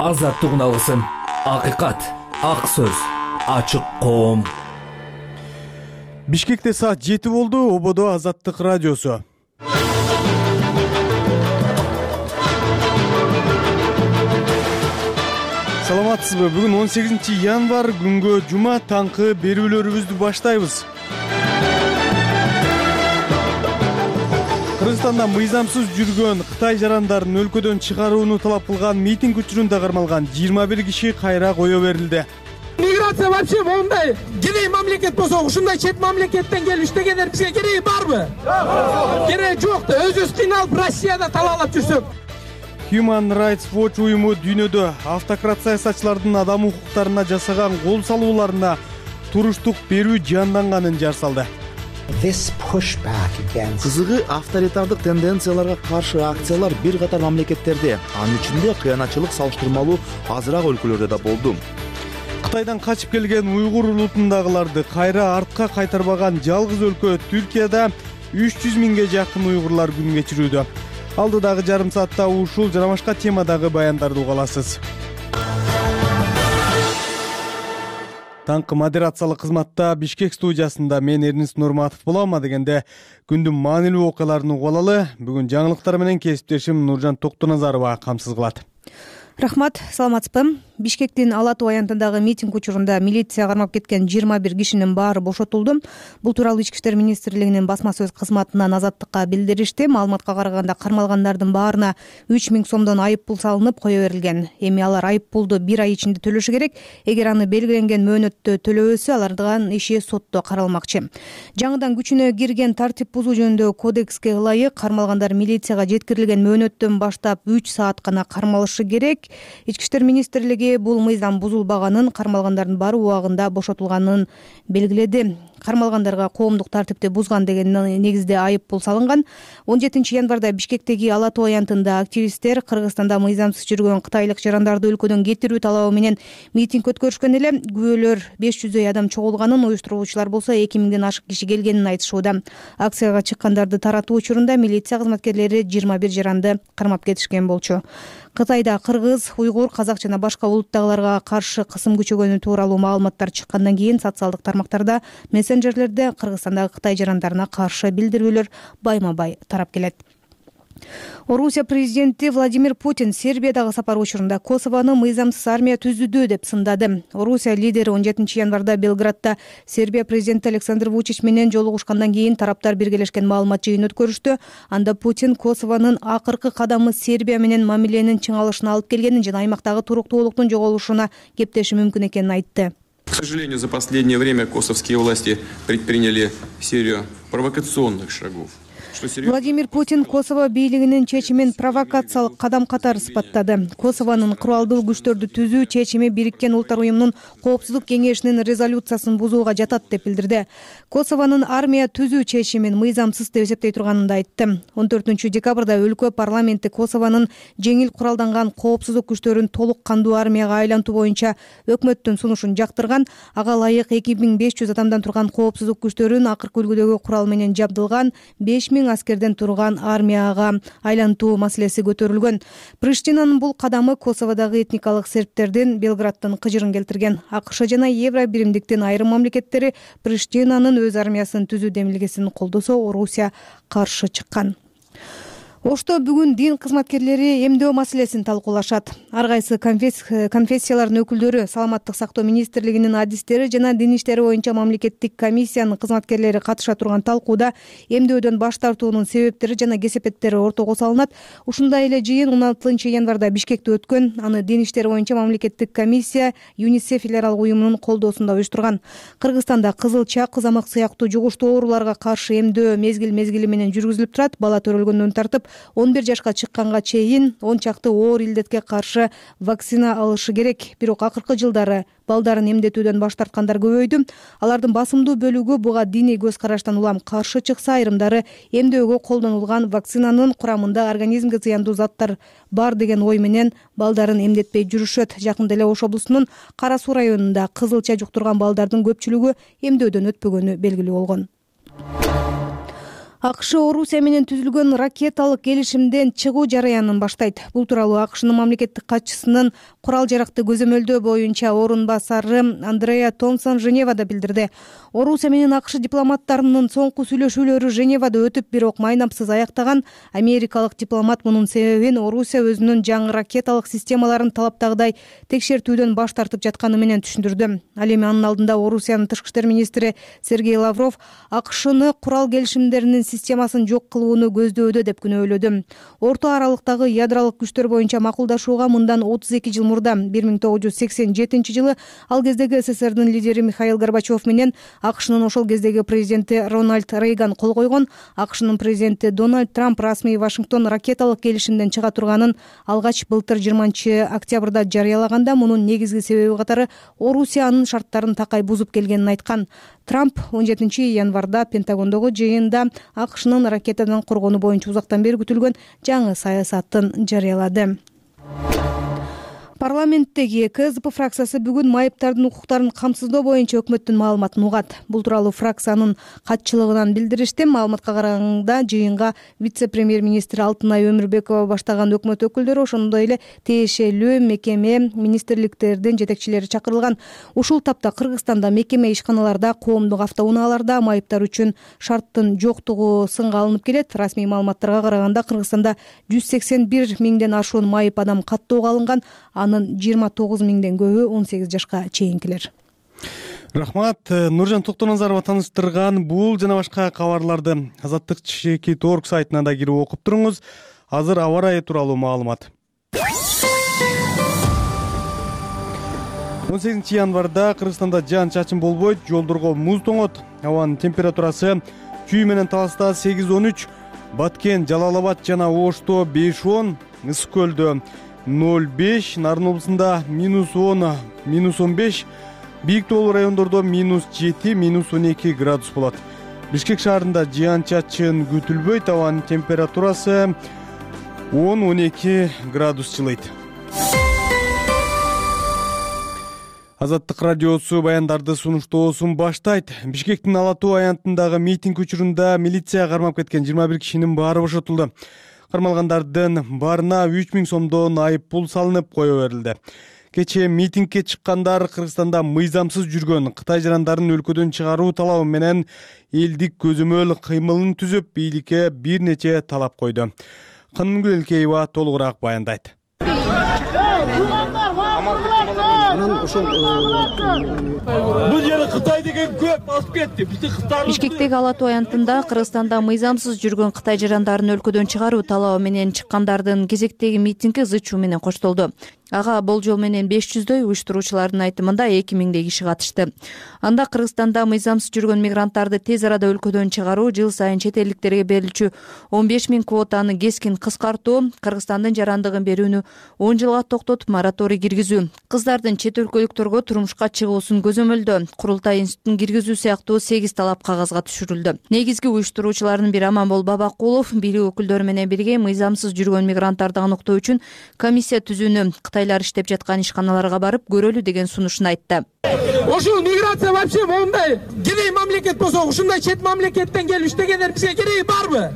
Азаттык үналысын, акыйкат, ак сөз, ачык коом. Бишкекте саат 7 болду. Ободо Азаттык радиосу. Саламатсызбы? Бүгүн 18-январь күнгө жума таңкы берүүлөрүбүздү баштайбыз. Кыргызстанда мыйзамсыз жүргөн Кытай жарандарын өлкөдөн чыгарууну талап кылган митинг учурунда кармалган 21 киши кайра кое берилди. Миграция вообще мондай кедей мамлекет болсо, ушундай чет мамлекеттен келип иштегендер бизге кереги барбы? Кереги жок да, өзүбүз кыйналып Россияда талаалап жүрсөк. Human Rights Watch уюму дүйнөдө автократ саясатчылардын адам укуктарына жасаган кол салууларына туруштук берүү жанданганын жар салды. Кызыгы, авторитардык тенденцияларга каршы акциялар бир катар мамлекеттерде, анын ичинде кыянатчылык салыштырмалуу азыраак өлкөлөрдө да болду. Кытайдан качып келген уйгур улутундагыларды кайра артка кайтарбаган жалгыз өлкө Түркияда 300 миңге жакын уйгурлар күн кечирүүдө. Алдыдагы жарым саатта ушул жана башка темадагы баяндарды уга аласыз. Таңкы модерациялык кызматта Бишкек студиясында мен Эрнис Нурматов болом. Дегенде күндүн маанилүү окуяларын угуп алалы. Бүгүн жаңылыктар менен кесиптешим Нуржан Токтоназарова камсыз кылат. Рахмат, саламатсызбы? Бишкектин Ала Тоо аянтындагы митинг учурунда милиция кармап кеткен 21 кишинин баары бошотулду. Бул тууралуу Ички иштер министрлигинин басма сөз кызматынан Азаттыкка билдиришти. Маалыматка караганда кармалгандардын баарына 3 миң сомдон айып пул салынып кое берилген. Эми алар айып пулду 1 ай ичинде төлөшү керек. Эгер аны белгиленген мөөнөттө төлөбөсө, алардын иши сотто каралмакчы. Жаңыдан күчүнө кирген тартип бузуу жөнүндөгү кодекске ылайык кармалгандар милицияга жеткирилген мөөнөттөн баштап 3 саат гана кармалышы керек. Ички иштер министрлиги бул мыйзам бузулбаганын, кармалгандардын баары убагында бошотулганын белгиледи. Кармалгандарга коомдук тартипти бузган деген негизде айып пул салынган. 17-январда Бишкектеги Ала Тоо аянтында активисттер Кыргызстанда мыйзамсыз жүргөн кытайлык жарандарды өлкөдөн кетирүү талабы менен митинг өткөрүшкөн эле. Күбөлөр 500 адам чогулганын, уюштуруучулар болсо 2 миңден ашык киши келгенин айтышууда. Акцияга чыккандарды таратуу учурунда милиция кызматкерлери 21 жаранды кармап кетишкен болчу. Кытайда кыргыз, уйгур, казак жана башка улуттагыларга каршы кысым күчөгөнү тууралуу маалыматтар чыккандан кийин социалдык тармактарда, мессенджерлерде Кыргызстандагы Кытай жарандарына каршы билдирүүлөр байма-бай тарап келет. Орусия президенти Владимир Путин Сербиядагы сапары учурунда Косовону мыйзамсыз армия түзүүдө деп сындады. Орусия лидери 17-январда Белградда Сербия президенти Александр Вучич менен жолугушкандан кийин тараптар биргелешкен маалымат жыйын өткөрүштү. Анда Путин Косовонун акыркы кадамы Сербия менен мамиленин чыңалышына алып келгенин жана аймактагы туруктуулуктун жоголушуна кептеши мүмкүн экенин айтты. К сожалению, за последнее время косовские власти предприняли серию провокационных шагов. Владимир Путин Косово бийлигинин чечимин провокациялык кадам катары сыпаттады. Косовонун куралдуу күчтөрдү түзүү чечими Бириккен Улуттар уюмунун Коопсуздук кеңешинин резолюциясын бузууга жатат деп билдирди. Косовонун армия түзүү чечимин мыйзамсыз деп эсептей турганын да айтты. 14-декабрда өлкө парламенти Косовонун жеңил куралданган коопсуздук күчтөрүн толук кандуу армияга айлантуу боюнча өкмөттүн сунушун жактырган. Ага ылайык 2500 адамдан турган коопсуздук күчтөрүн акыркы үлгүдөгү курал менен жабдылган 5000 аскерден турган армияга айлантуу маселеси көтөрүлгөн. Приштинанын бул кадамы Косоводогу этникалык сербтердин Белградтын кыжырын келтирген. АКШ жана Евро биримдиктин айрым мамлекеттери Приштинанын өз армиясын түзүү демилгесин колдосо, Орусия каршы чыккан. Ошто бүгүн дин кызматкерлери эмдөө маселесин талкуулашат. Ар кайсы конфессиялардын өкүлдөрү, саламаттык сактоо министрлигинин адистери жана дин иштери боюнча мамлекеттик комиссиянын кызматкерлери катыша турган талкууда эмдөөдөн баш тартуунун себептери жана кесепеттери ортого салынат. Ушундай эле жыйын 16-январда Бишкекте өткөн. Аны дин иштери боюнча мамлекеттик комиссия ЮНИСЕФ федералдык уюмунун колдоосунда уюштурган. Кыргызстанда кызылча, кызамык сыяктуу жугуштуу ооруларга каршы эмдөө мезгил менен жүргүзүлүп турат. Бала төрөлгөндөн тартып 11 жашка чыкканга чейин 10 чакты оор илдетке каршы вакцина алышы керек. Бирок акыркы жылдары балдарын эмдетүүдөн баш тарткандар көбөйдү. Алардын басымдуу бөлүгү буга диний көз караштан улам каршы чыкса, айрымдары эмдөөгө колдонулган вакцинанын курамында организмге зыяндуу заттар бар деген ой менен балдарын эмдетпей жүрүшөт. Жакында эле Ош облусунун Кара Суу районунда кызылча жуктурган балдардын көпчүлүгү эмдөөдөн өтпөгөнү белгилүү болгон. АКШ Орусия менен түзүлгөн ракеталык келишимден чыгуу жараянын баштайт. Бул тууралуу АКШнын мамлекеттик катчысынын курал жаракты көзөмөлдөө боюнча орун басары Андреа Томпсон Женевада билдирди. Орусия менен АКШ дипломаттарынын соңку сүйлөшүүлөрү Женевада өтүп, бирок майнапсыз аяктаган. Америкалык дипломат мунун себебин Орусия өзүнүн жаңы ракеталык системаларын талаптагыдай текшертүүдөн баш тартып жатканы менен түшүндүрдү. Ал эми анын алдында Орусиянын тышкы иштер министри Сергей Лавров АКШны курал келишимдеринин системасын жок кылууну көздөдө деп күнөөлөдү. Орто аралыктагы ядролук күчтөр боюнча макулдашууга мындан 32 жыл мурда 1987 жылы ал кездеги СССРдин лидери Михаил Горбачев менен АКШнын ошол кездеги президенти Рональд Рейган кол койгон. АКШнын президенти Дональд Трамп расмий Вашингтон ракеталык келишимден чыга турганын алгач былтыр 20 октябрда жарыялаганда, мунун негизги себеби катары Орусия анын шарттарын такай бузуп келгенин айткан. Трамп 17 январда Пентагондогу жыйында АКШнын ракетадан коргонуу боюнча узактан бери күтүлгөн жаңы саясатын жарыялады. Парламенттеги КСДП фракциясы бүгүн майыптардын укуктарын камсыздоо боюнча өкмөттүн маалыматын угат. Бул тууралуу фракциянын катчылыгынан билдиришти. Маалыматка караганда жыйынга вице-премьер-министр Алтынай Өмүрбекова баштаган өкмөт өкүлдөрү, ошондой эле тиешелүү мекеме, министрликтердин жетекчилери чакырылган. Ушул тапта Кыргызстанда мекеме ишканаларда, коомдук автоунааларда майыптар үчүн шарттын жоктугу сынга алынып келет. Расмий маалыматтарга караганда Кыргызстанда 181 миңден ашуун майып адам каттоого алынган. Анын 29 миңден көбү 18 жашка чейинкилер. Рахмат. Нуржан Токтоназарова таныштырган бул жана башка кабарларды Азаттык Чекит.org сайтына да кирип окуп туруңуз. Азыр аба ырайы тууралуу маалымат. 18 январда Кыргызстанда жаан-чачын болбойт, жолдорго муз тоңот. Абанын температурасы Чүй менен Таласта 8-13, Баткен, Жалал-Абад жана Ошто 5-10, Ысык көлдө 0,5, Нарын облусунда -10, -15, бийик тоолуу райондордо -7, -12 градус болот. Бишкек шаарында жаан-чачын күтүлбөйт, абанын температурасы 10-12 градус жылыйт. Азаттык радиосу баяндарды сунуштоосун баштайт. Бишкектин Ала Тоо аянтындагы митинг учурунда милиция кармап кеткен 21 кишинин баары бошотулду. Кармалгандардын баарына 3000 сомдон айып пул салынып кое берилди. Кечээ митингге чыккандар Кыргызстанда мыйзамсыз жүргөн Кытай жарандарын өлкөдөн чыгаруу талабы менен элдик көзөмөл кыймылын түзүп, бийликке бир нече талап койду. Канымгүл Элкеева толугураак баяндайт. Бул жери Кытай деген көп басып кетти. Бишкектеги Ала Тоо аянтында Кыргызстанда мыйзамсыз жүргөн Кытай жарандарын өлкөдөн чыгаруу талабы менен чыккандардын кезектеги митинги ызы-чуу менен коштолду. Ага болжол менен 500дөй уюштуруучулардын айтымында 2000 киши катышты. Анда Кыргызстанда мыйзамсыз жүргөн мигранттарды тез арада өлкөдөн чыгаруу, жыл сайын чет элдиктерге берилчү 15 000 квотаны кескин кыскартуу, Кыргызстандын жарандыгын берүүнү 10 жылга токтотуп мораторий киргизүү, кыздардын чет өлкөлүктөргө турмушка чыгуусун көзөмөлдөө, курултай институтун киргизүү сыяктуу 8 талап кагазга түшүрүлдү. Негизги уюштуруучулардын бири Аманбол Бабакулов бийлик өкүлдөрү менен бирге мыйзамсыз жүргөн мигранттарды аныктоо үчүн комиссия түзүүнү, Кытайлар иштеп жаткан ишканаларга барып көрөлү деген сунушун айтты. Ошол миграция вообще мондай кирей мамлекет болсо, ушундай чет мамлекеттен келип иштегендер бизге кереги барбы?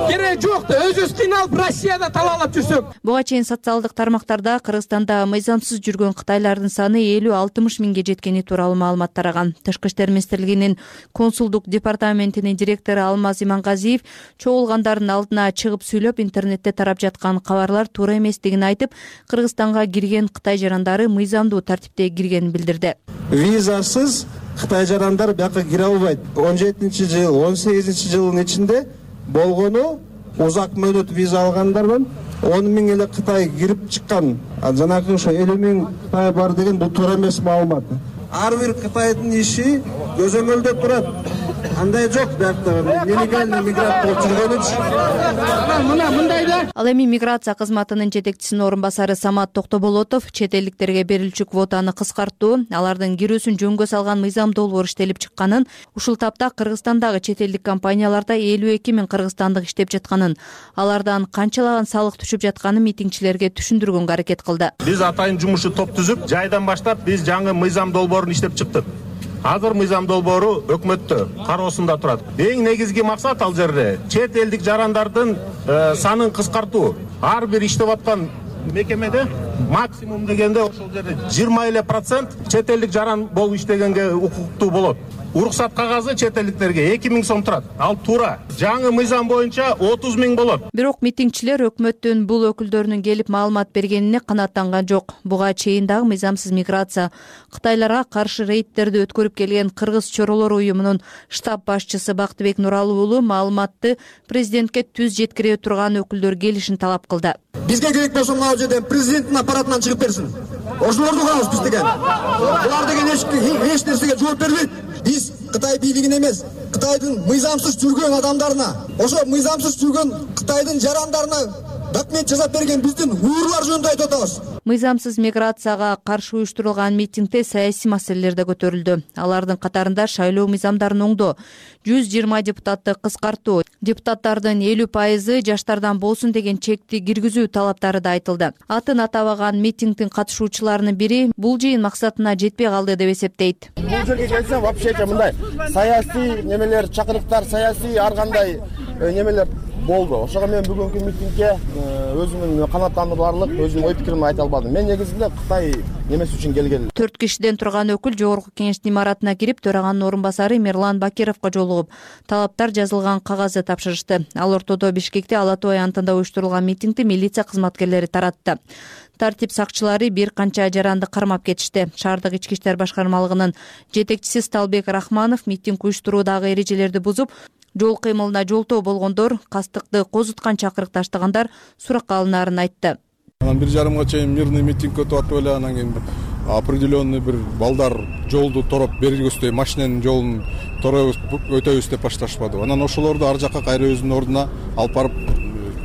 Кереги жок да, өзүбүз кыйналып Россияда талаалап жүрсөк. Буга чейин социалдык тармактарда Кыргызстанда мыйзамсыз жүргөн кытайлардын саны 50-60 миңге жеткени тууралуу маалымат тараган. Тышкы иштер министрлигинин консулдук департаментинин директору Алмаз Имангазиев чогулгандардын алдына чыгып сүйлөп, интернетте тарап жаткан кабарлар туура эместигин айтып, Кыргызстанга кирген Кытай жарандары мыйзамдуу тартипте киргенин билдирди. Визасыз Кытай жарандар бияка кире албайт. 17-жыл, 18-жылдын ичинде болгону узак мөөнөт виза алгандардан 10 000 эле Кытай кирип чыккан. Жанагы ошо 50 000 Кытай бар деген бул туура эмес маалымат. Ар бир Кытайдын иши көзөмөлдө турат. Андай жок биякта нелегальный мигрант болуп жүргөнүч. Мына мындайда. Ал эми миграция кызматынын жетекчисинин орун басары Самат Токтоболотов чет элдиктерге берилчү квотаны кыскартуу, алардын кирүүсүн жөнгө салган мыйзам долбоор иштелип чыкканын, ушул тапта Кыргызстандагы чет элдик компанияларда 52 000 кыргызстандык иштеп жатканын, алардан канчалаган салык түшүп жатканын митингчилерге түшүндүргөнгө аракет кылды. Биз атайын жумушчу топ түзүп, жайдан баштап биз жаңы мыйзам долбоорун иштеп чыктык. Азыр мыйзам долбоору өкмөттө кароосунда турат. Эң негизги максат ал жерде чет элдик жарандардын санын кыскартуу. Ар бир иштеп аткан мекемеде максимум дегенде ошол жерде 20% чет элдик жаран болуп иштегенге укуктуу болот. Уруксат кагазы чет элдиктерге 2000 сом турат. Ал туура. Жаңы мыйзам боюнча 30 000 болот. Бирок митингчилер өкмөттүн бул өкүлдөрүнүн келип маалымат бергенине канааттанган жок. Буга чейин дагы мыйзамсыз миграция, Кытайларга каршы рейдтерди өткөрүп келген Кыргыз чоролор уюмунун штаб башчысы Бактыбек Нуралы уулу маалыматты президентке түз жеткире турган өкүлдөр келишин талап кылды. Бизге керек болсо мына жерден президенттин аппаратынан чыгып берсин. Ошолорду кылабыз биз деген. Булар деген эч нерсеге жооп бербейт. Биз Кытай бийлигине эмес, Кытайдын мыйзамсыз жүргөн адамдарына, ошо мыйзамсыз жүргөн Кытайдын жарандарына документ жасап берген биздин уюрлар жөнүндө айтып атабыз. Мыйзамсыз миграцияга каршы уюштурулган митингде саясий маселелер да көтөрүлдү. Алардын катарында шайлоо мыйзамдарын оңдоо, 120 депутатты кыскартуу, депутаттардын 50% жаштардан болсун деген чекти киргизүү талаптары да айтылды. Атын атабаган митингдин катышуучуларынын бири бул жыйын максатына жетпей калды деп эсептейт. Бул жерге келсем вообще мындай саясий немелер, чакырыктар, саясий ар кандай немелер болду. Ошого мен бүгүнкү митингге өзүмдүн канааттандырарлык өзүмдүн ой пикиримди айта албадым. Мен негизинде Кытай немеси үчүн келгем. 4 кишиден турган өкүл жогорку кеңештин имаратына кирип, төраганын орун басары Мирлан Бакировго жолугуп, талаптар жазылган кагазды тапшырышты. Ал ортодо Бишкекте Ала Тоо аянтында уюштурулган митингди милиция кызматкерлери таратты. Тартип сакчылары бир канча жаранды кармап кетишти. Шаардык ички иштер башкармалыгынын жетекчиси Сталбек Рахманов митинг уюштуруудагы эрежелерди бузуп, жол кыймылына жолтоо болгондор, кастыкты козуткан чакырык таштагандар суракка алынаарын айтты. 1:30 чейин мирный митинг өтүп атып эле, анан кийин определенный бир балдар жолду тороп бергибизде машинанын жолун өтөбүз деп башташпады. Анан ошолорду ар жакка кайра өзүнүн ордуна алып барып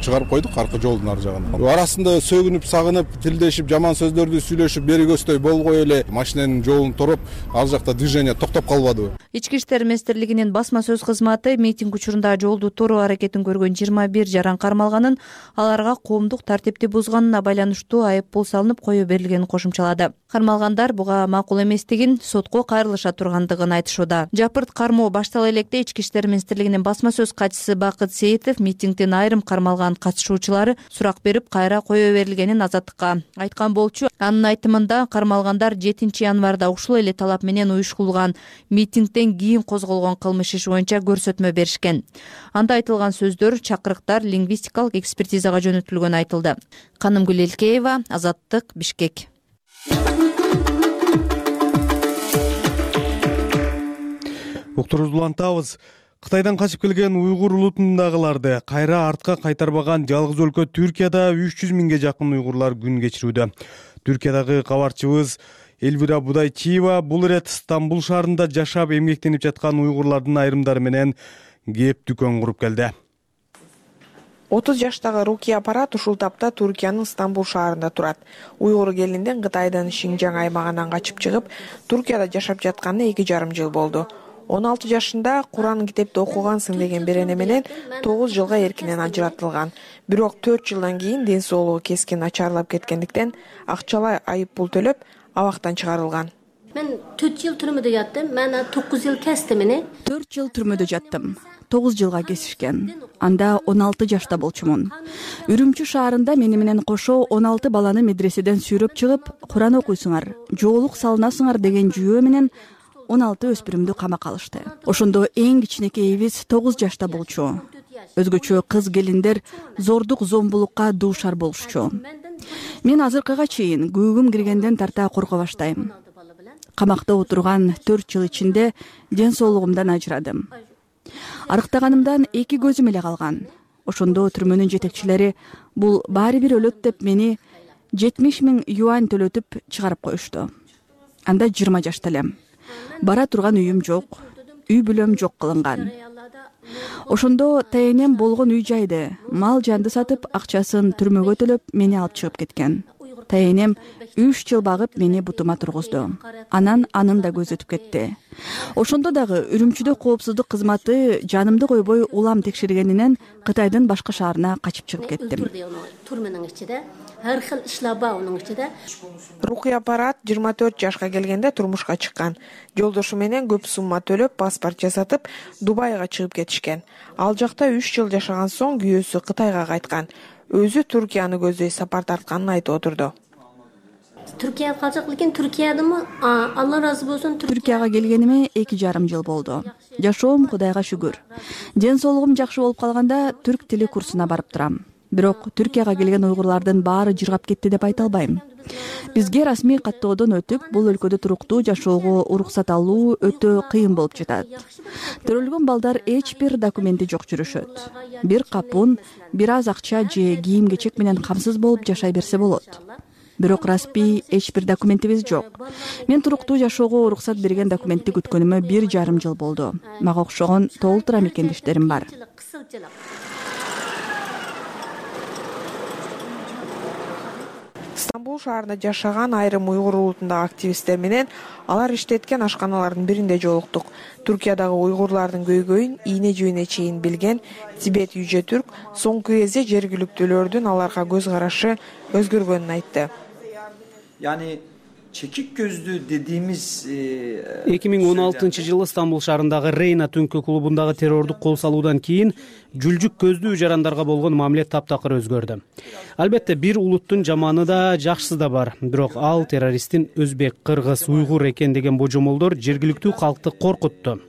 чыгарып койдук, аркы жолдун ар жагына. Арасында сөгүнүп, сагынып, тилдешип, жаман сөздөрдү сүйлөшүп бергибизде болбой эле машинанын жолун тороп, ар жакта движение токтоп калбады. Ички иштер министрлигинин басма сөз кызматы митинг учурунда жолду тороо аракетин көргөн 21 жаран кармалганын, аларга коомдук тартипти бузганына байланыштуу айыппул салынып кое берилгенин кошумчалады. Кармалгандар буга макул эместигин, сотко кайрылыша тургандыгын айтышууда. Жапырт кармоо баштала электе Ички иштер министрлигинин басма сөз катчысы Бакыт Сейитов митингдин айрым кармалган катышуучулары сурак берип кайра кое берилгенин Азаттыкка айткан болчу. Анын айтымында кармалгандар 7 январда ушул эле талап менен уюштурулган митингден кийин козголгон кылмыш иши боюнча көрсөтмө беришкен. Анда айтылган сөздөр, чакырыктар лингвистикалык экспертизага жөнөтүлгөнү айтылды. Канымгүл Элкеева, Азаттык, Бишкек. Уктурубузду улантабыз. Кытайдан качып келген уйгур улутундагыларды кайра артка кайтарбаган жалгыз өлкө Түркияда 300 000ге жакын уйгурлар күн кечирүүдө. Түркиядагы кабарчыбыз Элвира Будайчиева бул ирет Стамбул шаарында жашап эмгектенип жаткан уйгурлардын айрымдары менен кеп дүкөн куруп келди. 30 жаштагы Рукия Апарат ушул тапта Түркиянын Стамбул шаарында турат. Уйгур келинден Кытайдын Шинжаң аймагынан качып чыгып, Түркияда жашап жатканына 2,5 жыл болду. 16 жашында Куран китепти окугансың деген берене менен 9 жылга эркинен ажыратылган. Бирок 4 жылдан кийин ден соолугу кескен начарлап кеткендиктен акчалай айып пул төлөп, абактан чыгарылган. Мен 4 жыл түрмөдө жаттым. Мен 9 жыл кестим мени. 4 жыл түрмөдө жаттым. 9 жылга кесишкен. Анда 16 жашта болчумун. Үрүмчү шаарында мени менен кошо 16 баланы медреседен сүйрөп чыгып, Куран окуйсуңар, жоолук салынасыңар деген жүйөө менен 16 өспүрүмдү камакка алышты. Ошондо эң кичинекейибиз 9 жашта болчу. Өзгөчө кыз келиндер зордук зомбулукка дуушар болушчу. Мен азыркыга чейин күүгүм киргенден тарта корко баштайм. Камакта отурган 4 жыл ичинде ден соолугумдан ажырадым. Арыктаганымдан 2 көзүм эле калган. Ошондо түрмөнүн жетекчилери бул баары бир өлөт деп мени 70 000 юань төлөтүп чыгарып коюшту. Анда 20 жашта элем. Бара турган үйүм жок, үй бүлөм жок кылынган. Ошондо тайенем болгон үй жайды, мал жанды сатып, акчасын түрмөгө төлөп, мени алып чыгып кеткен. Тайенем 3 жыл багып мени бутума тургузду. Анан анын да көзү өтүп кетти. Ошондо дагы Үрүмчүдө коопсуздук кызматы жанымды койбой улам текшергенинен Кытайдын башка шаарына качып чыгып кеттим. Турменин ичинде ар хил ишлар бар унун ичинде. Рукия Парат 24 жашка келгенде турмушка чыккан. Жолдошу менен көп сумма төлөп паспорт жасатып Дубайга чыгып кетишкен. Ал жакта 3 жыл жашаган соң күйөөсү Кытайга кайткан. Өзү Түркияны көздөй сапар тартканын айтып отурду. Түркияга калчак, лекин Түркиядымы Алла разы болсун. Түркияга келгениме 2,5 жыл болду. Жашоом Кудайга шүгүр. Ден соолугум жакшы болуп калганда түрк тили курсуна барып турам. Бирок Түркияга келген уйгурлардын баары жыргап кетти деп айта албайм. Бизге расмий каттоодон өтүп, бул өлкөдө туруктуу жашоого уруксат алуу өтө кыйын болуп жатат. Төрөлгөн балдар эч бир документи жок жүрүшөт. Бир капун, бир аз акча же кийим-кечек менен камсыз болуп жашай берсе болот. Бирок расмий эч бир документибиз жок. Мен туруктуу жашоого уруксат берген документти күткөнүмө 1,5 жыл болду. Мага окшогон толтура мекендештерим бар. Стамбул шаарында жашаган айрым уйгур улутундагы активисттер менен алар иштеткен ашканалардын биринде жолуктук. Түркиядагы уйгурлардын көйгөйүн ийне жибине чейин билген Тибет Yüce Türk соңку кезде жергиликтүүлөрдүн аларга көз карашы өзгөргөнүн айтты. Yani çekik gözlü dediğimiz 2016-жылы Стамбул шаарындагы Рейна түнкү клубундагы террордук кол салуудан кийин жүлжүк көздүү жарандарга болгон мамиле таптакыр өзгөрдү. Албетте бир улуттун жаманы да жакшысы да бар, бирок ал террористтин өзбек, кыргыз, уйгур экен деген божомолдор жергиликтүү калкты коркутту.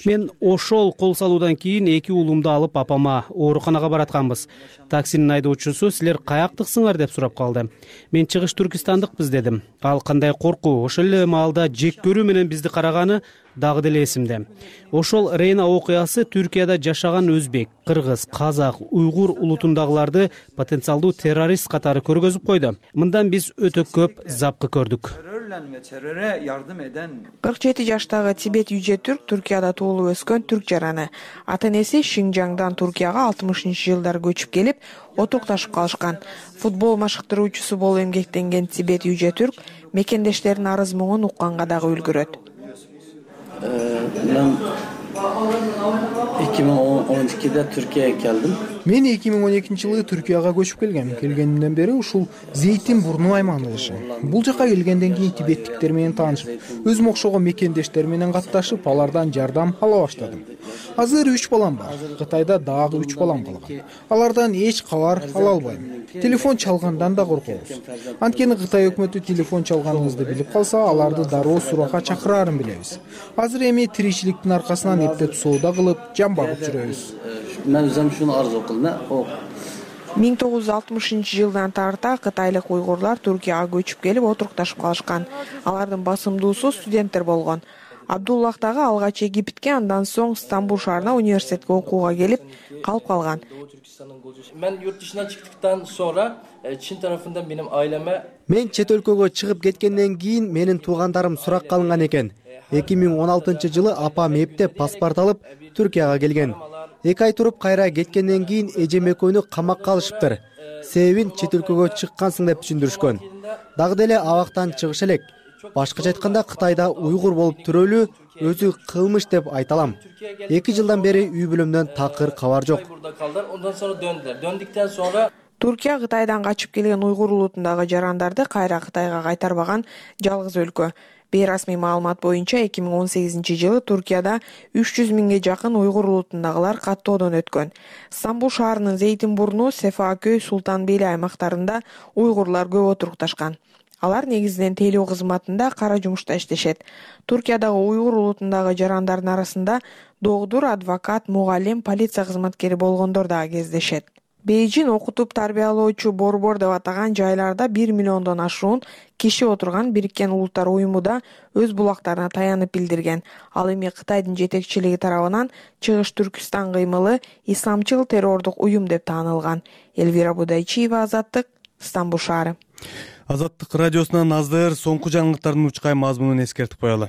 Мен ошол кол салуудан кийин 2 уулумду алып апама ооруканага баратканбыз. Таксинин айдоочусу "Силер каяктыксыңар?" деп сурап калды. Мен чыгыш түркистандыкпыз дедим. Ал кандай коркуу, ошол эле маалда жек көрүү менен бизди караганы дагы деле эсимде. Ошол Рейна окуясы Түркияда жашаган өзбек, кыргыз, казак, уйгур улутундагыларды потенциалдуу террорист катары көргөзүп койду. Мындан биз өтө көп запкы көрдүк. 47 жаштагы Тибет Yüce Türk Түркияда туулуп өскөн түрк жараны. Ата-энеси Шинжаңдан Түркияга 60-жылдары көчүп келип, отурукташып калышкан. Футбол машыктыруучусу болуп эмгектенген Тибет Yüce Türk мекендештеринин арыз муңун укканга дагы үлгүрөт. Ben 2012'de Türkiye'ye geldim. Мен 2012-жылы Түркияга көчүп келгем. Келгенден бери ушул Зейтин бурну аймагында жашайм. Бул жака келгенден кийин тибеттиктер менен таанышып, өзүм окшогон мекендештер менен катташып, алардан жардам ала баштадым. Азыр 3 балам бар. Кытайда дагы 3 балам калган. Алардан эч кабар ала албайм. Телефон чалгандан да коркобуз. Анткени Кытай өкмөтү телефон чалганыбызды билип калса, аларды дароо суракка чакырарын билебиз. Азыр эми тиричиликтин аркасынан эптеп соода кылып, жан багып жүрөбүз. Ben özüm şunu arzu kıldım. 1960-жылдан тарта кытайлык уйгурлар Түркияга көчүп келип отурукташып калышкан. Алардын басымдуусу студенттер болгон. Абдуллах дагы алгач Египетке, андан соң Стамбул шаарына университетке окууга келип калып калган. Ben yurt dışına çıktıktan sonra Çin tarafından benim aileme Мен чет өлкөгө чыгып кеткенден кийин менин туугандарым сурак калынган экен. 2016-жылы апам эптеп паспорт алып Түркияга келген. 2 ай туруп кайра кеткенден кийин эжем экөөнү камакка алышыптыр. Себебин чет өлкөгө чыккансың деп түшүндүрүшкөн. Дагы деле абактан чыгыш элек. Башкача айтканда Кытайда уйгур болуп төрөлүү өзү кылмыш деп айта алам. 2 жылдан бери үй бүлөмдөн такыр кабар жок. Ondan sonra döndüler. Döndükten sonra Түркия Кытайдан качып келген уйгур улутундагы жарандарды кайра Кытайга кайтарбаган жалгыз өлкө. Бейрасмий маалымат боюнча 2018-жылы Түркияда 300 миңге жакын уйгур улутундагылар каттоодон өткөн. Стамбул шаарынын Зейтин бурну, Сефакөй, Султанбейли аймактарында уйгурлар көп отурукташкан. Алар негизинен тейлөө кызматында кара жумушта иштешет. Түркиядагы уйгур улутундагы жарандардын арасында доктур, адвокат, мугалим, полиция кызматкери болгондор дагы кездешет. Бейжин окутуп тарбиялоочу борбор деп атаган жайларда 1 миллиондон ашуун киши отурган Бириккен Улуттар уюму да өз булактарына таянып билдирген. Ал эми Кытайдын жетекчилиги тарабынан Чыгыш Түркүстан кыймылы исламчыл террордук уюм деп таанылган. Элвира Будайчиева, Азаттык, Стамбул шаары. Азаттык радиосунан азыр соңку жаңылыктардын учкай мазмунун эскертип коелу.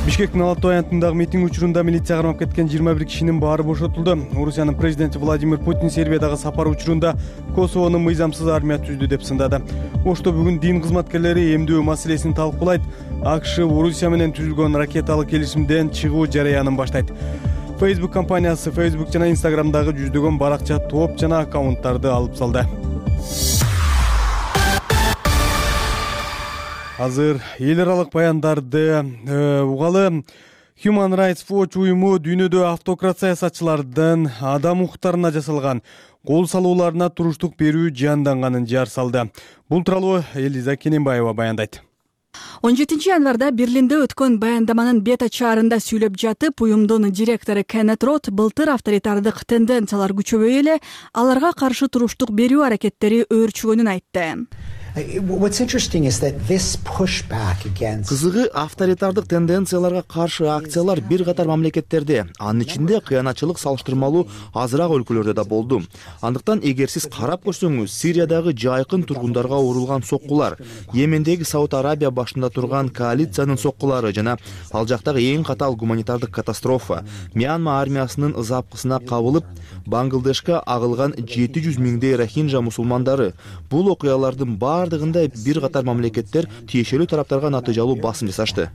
Бишкектин Алатой аянтындагы митинг учурунда милиция кармап кеткен 21 кишинин баары бошотулду. Орусиянын президенти Владимир Путин Сербиядагы сапар учурунда Косовону мыйзамсыз армия түздү деп сындады. Ошто бүгүн дин кызматкерлери эмдөө маселесин талкуулайт. АКШ Орусия менен түзүлгөн ракеталык келишимден чыгуу жараянын баштайт. Facebook компаниясы Facebook жана Instagramдагы жүздөгөн баракча, топ жана аккаунттарды алып салды. Азыр эл аралык баяндарды угалы. Human Rights Watch уюму дүйнөдө автократ саясатчылардын адам укуктарына жасалган кол салууларына туруштук берүү жаанданганын жар салды. Бул тууралуу Элиза Кененбаева баяндайт. 17 январда Берлинде өткөн баяндаманын бета чаарында сүйлөп жатып, уюмдун директору Кеннет Рот былтыр авторитардык тенденциялар күчөбөй эле аларга каршы туруштук берүү аракеттери өөрчүгөнүн айтты. Кызыгы, авторитардык тенденцияларга каршы акциялар бир катар мамлекеттерде, анын ичинде кыянатчылык салыштырмалуу азыраак өлкөлөрдө да болду. Андыктан эгер сиз карап көрсөңүз, Сириядагы жайкын тургундарга урулган соккулар, Йемендеги Сауд Арабия башында турган коалициянын соккулары жана ал жактагы эң катаал гуманитардык катастрофа, Мьянма армиясынын запкысына кабылып, Бангладешке агылган 700 миңдей рохинжа мусулмандары, бул окуялардын бардыгында бир катар мамлекеттер тиешелүү тараптарга натыйжалуу басым жасашты.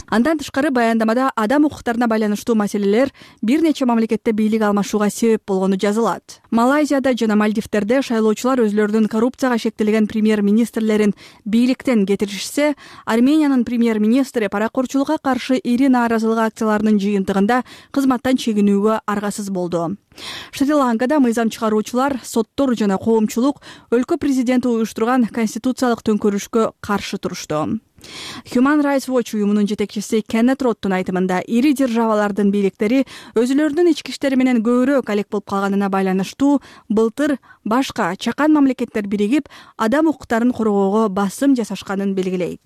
Андан тышкары баяндамада адам укуктарына байланыштуу маселелер бир нече мамлекетте бийлик алмашууга себеп болгону жазылат. Малайзияда жана Мальдивтерде шайлоочулар өзлөрүнүн коррупцияга шектелген премьер-министрлерин бийликтен кетиришсе, Армениянын премьер-министри паракорчулукка каршы ири нааразылык акцияларынын жыйынтыгында кызматтан чегинүүгө аргасыз болду. Шри-Ланкада мыйзам чыгаруучулар, соттор жана коомчулук өлкө президенти уюштурган конституциялык төңкөрүшкө каршы турушту. Human Rights Watch уюмунун жетекчиси Кеннет Роттун айтымында ири державалардын бийликтери өзүлөрүнүн ички иштери менен көбүрөөк алек болуп калганына байланыштуу былтыр башка чакан мамлекеттер биригип адам укуктарын коргоого басым жасашканын белгилейт.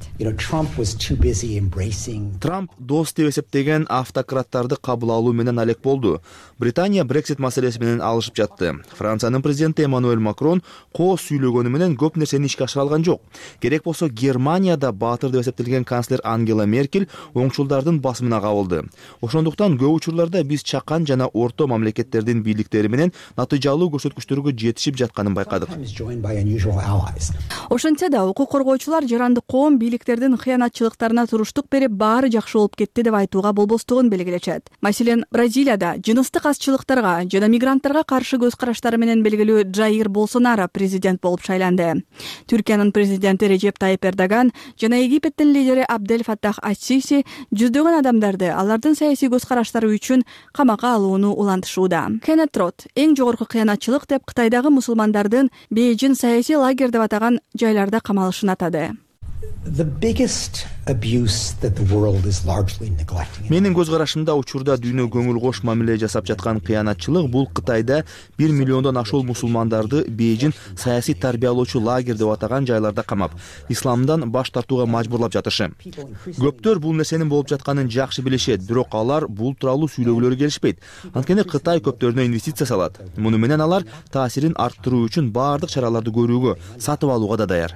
Трамп дос деп эсептеген автократтарды кабыл алуу менен алек болду. Британия Brexit маселеси менен алышып жатты. Франциянын президенти Эммануэль Макрон коо сүйлөгөнү менен көп нерсени ишке ашыра алган жок. Керек болсо Германияда деп эсептелген канцлер Ангела Меркель оңчулдардын басымына кабылды. Ошондуктан көп учурларда биз чакан жана орто мамлекеттердин бийликтери менен натыйжалуу көрсөткүчтөргө жетишип жатканын байкадык. Ошентсе да укук коргоочулар жарандык коом бийликтердин кыянатчылыктарына туруштук берип, баары жакшы болуп кетти деп айтууга болбостугун белгилечет. Маселен, Бразилияда жыныстык азчылыктарга жана мигранттарга каршы көз караштары менен белгилүү Джаир Болсонаро президент болуп шайланды. Түркиянын президенти Режеп Тайип Эрдоган жана Египеттин лидери Абдель Фаттах ас-Сиси жүздөгөн адамдарды алардын саясий көз караштары үчүн камакка алууну улантышууда. Кеннет Рот эң жогорку кыянатчылык деп Кытайдагы мусулмандардын бейжин саясий лагерь деп атаган жайларда камалышын атады. Менин көз карашымда учурда дүйнө көңүл кош мамиле жасап жаткан кыянатчылык бул Кытайда 1 миллиондон ашуул мусулмандарды бейжин саясий тарбиялоочу лагерь деп атаган жайларда камап, исламдан баш тартууга мажбурлап жатышы. Көптөр бул нерсенин болуп жатканын жакшы билишет, бирок алар бул тууралуу сүйлөгүлөрү келишпейт. Анткени Кытай көптөрүнө инвестиция салат. Муну менен алар таасирин арттыруу үчүн баардык чараларды көрүүгө, сатып алууга да даяр.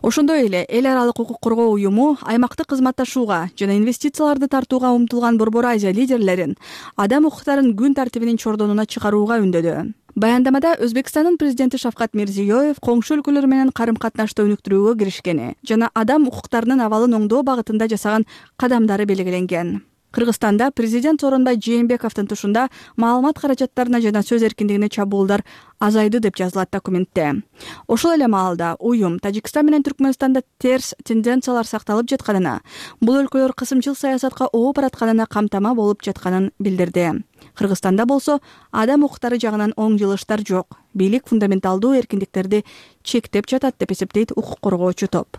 Ошондой эле эл аралык укук коргоо уюму аймактык кызматташууга жана инвестицияларды тартууга умтулган Борбор Азия лидерлерин адам укуктарын күн тартибинин чордонуна чыгарууга үндөдү. Баяндамада Өзбекстандын президенти Шавкат Мирзиёев коңшу өлкөлөр менен карым-катнашты өнүктүрүүгө киришкени жана адам укуктарынын абалын оңдоо багытында жасаган кадамдары белгиленген. Кыргызстанда президент Сооронбай Жээнбековдун тушунда маалымат каражаттарына жана сөз эркиндигине чабуулдар азайды деп жазылат документте. Ошол эле маалда уюм Тажикстан менен Түркмөнстанда терс тенденциялар сакталып жатканына, бул өлкөлөр кысымчыл саясатка оо баратканына камтама болуп жатканын билдирди. Кыргызстанда болсо адам укуктары жагынан оң жылыштар жок. Бийлик фундаменталдуу эркиндиктерди чектеп жатат деп эсептейт укук коргоочу топ.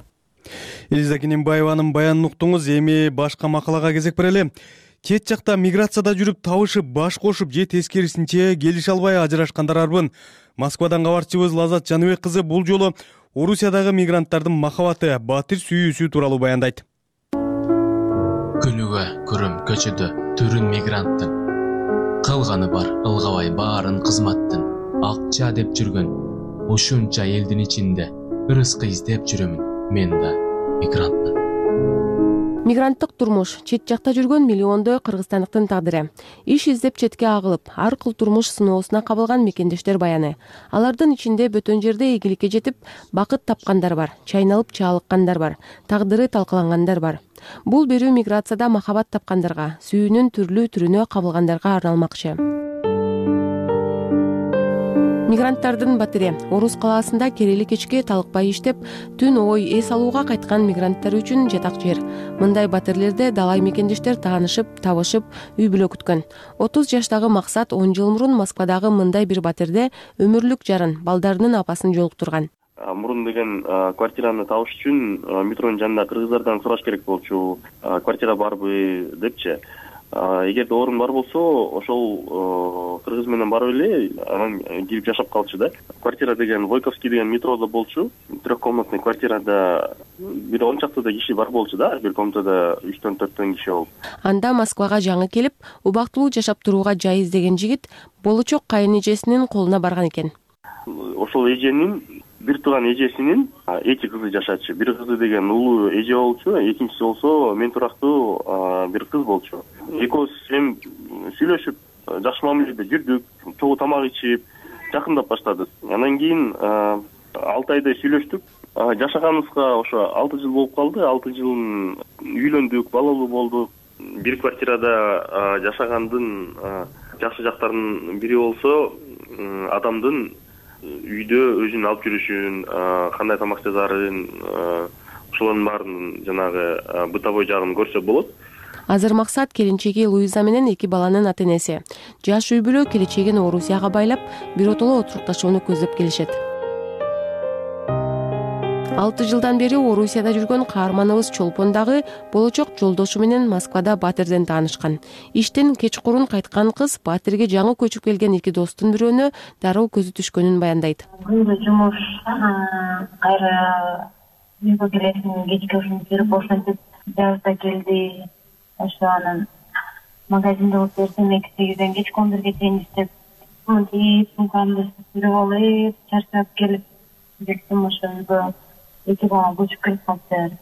Элиза Кененбаеванын баянын уктуңуз. Эми башка макалага кезек берели. Чет жакта миграцияда жүрүп табышып, баш кошуп же тескерисинче келише албай ажырашкандар арбын. Москвадан кабарчыбыз Лазат Жаныбек кызы бул жолу Орусиядагы мигранттардын махабаты, батир сүйүүсү тууралуу баяндайт. Күнүгө көрөм көчөдө түрүн мигранттын. Кылганы бар, ылгабай баарын кызматтын. Акча деп жүргөн ушунча элдин ичинде ырыскы издеп жүрөмүн мен да. мигрантмын. Мигранттык турмуш чет жакта жүргөн миллиондой кыргызстандыктын тагдыры. Иш издеп четке агылып, ар кыл турмуш сыноосуна кабылган мекендештер баяны. Алардын ичинде бөтөн жерде ийгиликке жетип, бакыт тапкандар бар, чайналып чаалыккандар бар, тагдыры талкалангандар бар. Бул берүү миграцияда махабат тапкандарга, сүйүүнүн түрлүү түрүнө кабылгандарга арналмакчы. Мигранттардын батири Орус калаасында керели кечке талыкпай иштеп, түн ой эс алууга кайткан мигранттар үчүн жатак жер. Мындай батирлерде далай мекендештер таанышып, табышып, үй бүлө күткөн. 30 жаштагы Максат 10 жыл мурун Москвадагы мындай бир батирде өмүрлүк жарын, балдарынын апасын жолуктурган. Мурун деген квартираны табыш үчүн метронун жанында кыргыздардан сураш керек болчу. Квартира барбы депчи. Эгерде орун бар болсо, ошол кыргыз менен барып эле анан кирип жашап калчу да. Квартира деген Войковский деген метродо болчу. Трехкомнатный квартирада бир 10 чактыда киши бар болчу да, бир комнатада 3-4 киши болуп. Анда Москвага жаңы келип, убактылуу жашап турууга жай издеген жигит болочок кайын эжесинин колуна барган экен. Ошол эженин бир тууган эжесинин 2 кызы жашачу. Бир кызы деген улуу эже болчу, экинчиси болсо мен турактуу бир кыз болчу. Экөөбүз эми сүйлөшүп, жакшы мамиледе жүрдүк, чогуу тамак ичип, жакындап баштадык. Андан кийин 6 айдай сүйлөштүк. Жашаганыбызга ошо 6 жыл болуп калды. 6 жылын үйлөндүк, балалуу болдук. Бир квартирада жашагандын жакшы жактарынын бири болсо, адамдын үйдө өзүн алып жүрүшүн, кандай тамак жасаарын, ошолордун баарын жанагы бытовой жагын көрсө болот. Азыр Максат келинчеги Луиза менен 2 баланын ата-энеси. Жаш үй бүлө келечегин Орусияга байлап, биротоло отурукташууну көздөп келишет. 6 жылдан бери Орусияда жүргөн каарманыбыз Чолпон дагы болочок жолдошу менен Москвада батирден таанышкан. Иштен кечкурун кайткан кыз батирге жаңы көчүп келген 2 достун бирөөнө дароо көзү түшкөнүн баяндайт. Жумуш кайра үйгө келесин, кечке ушинтип жүрүп ошентип жазда келди. Ошо анан магазинде отуруп темеки сегизден кечки 11ге чейин иштеп, мынтип сумкамды сүрүп алып, чарчап келип жеттим. Ошо үйгө 2 бала көчүп келип калды.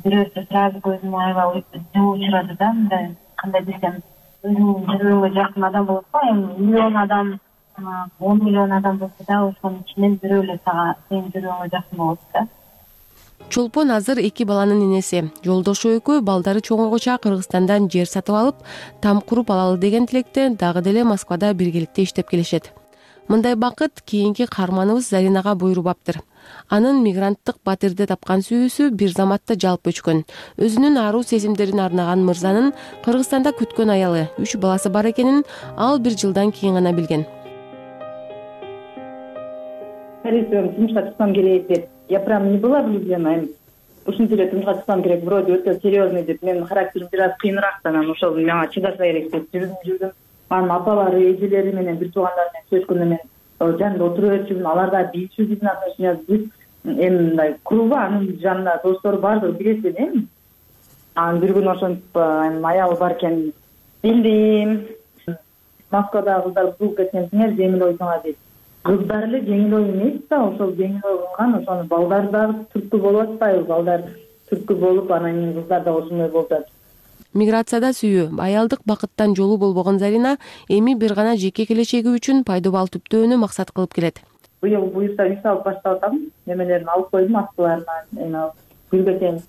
Бирөөсү сразу көзүм аябай учурады да, мындай кандай десем, өзүмдүн жүрөгүмө жакын адам болот го, эми миллион адам, 10 миллион адам болсо да, ошонун ичинен бирөө эле сага сенин жүрөгүңө жакын болот да. Чолпон азыр 2 баланын энеси. Жолдошу экөө балдары чоңойгоча Кыргызстандан жер сатып алып, там куруп алалы деген тилекте дагы деле Москвада биргеликте иштеп келишет. Мындай бакыт кийинки каарманыбыз Заринага буйрубаптыр. Анын мигранттык батирде тапкан сүйүүсү бир заматта жалп өчкөн. Өзүнүн аруу сезимдерин арнаган мырзанын Кыргызстанда күткөн аялы, 3 баласы бар экенин ал 1 жылдан кийин гана билген. Тумушка чыксам керек деп. Я прям не была влюблена. Ушинтип эле тумушка чыксам керек, вроде өтө серьезный деп. Менин характерим бир аз кыйыныраак, анан ошол мага чыдаса керек деп жүрдүм. Анын апалары, эжелери менен, бир туугандары менен сөзгөндө мен жанында отуруп өтчүмүн. Алар да билчү биздин отношения. Биз эми мындай кругу, анын жанында достору бардыгы билет эми. Анан бир күнү ошентип аялы бар экенин билдим. Москвадагы кыздар бул кеткенсиңер, жеңил ойсуңар дейт. Кыздар эле жеңил ой эмес да, ошол жеңил ой кылган, ошону балдар дагы түрткү болуп атпайбы? Балдар түрткү болуп, анан кийин кыздар да ошондой болуп атат. Миграцияда сүйүү, аялдык бакыттан жолу болбогон Зарина эми бир гана жеке келечеги үчүн пайдабал түптөөнү максат кылып келет. Быйыл буюрса үй салып баштап атам. Немелерин алып койдум, аскыларынан, эми гүлгө чейин.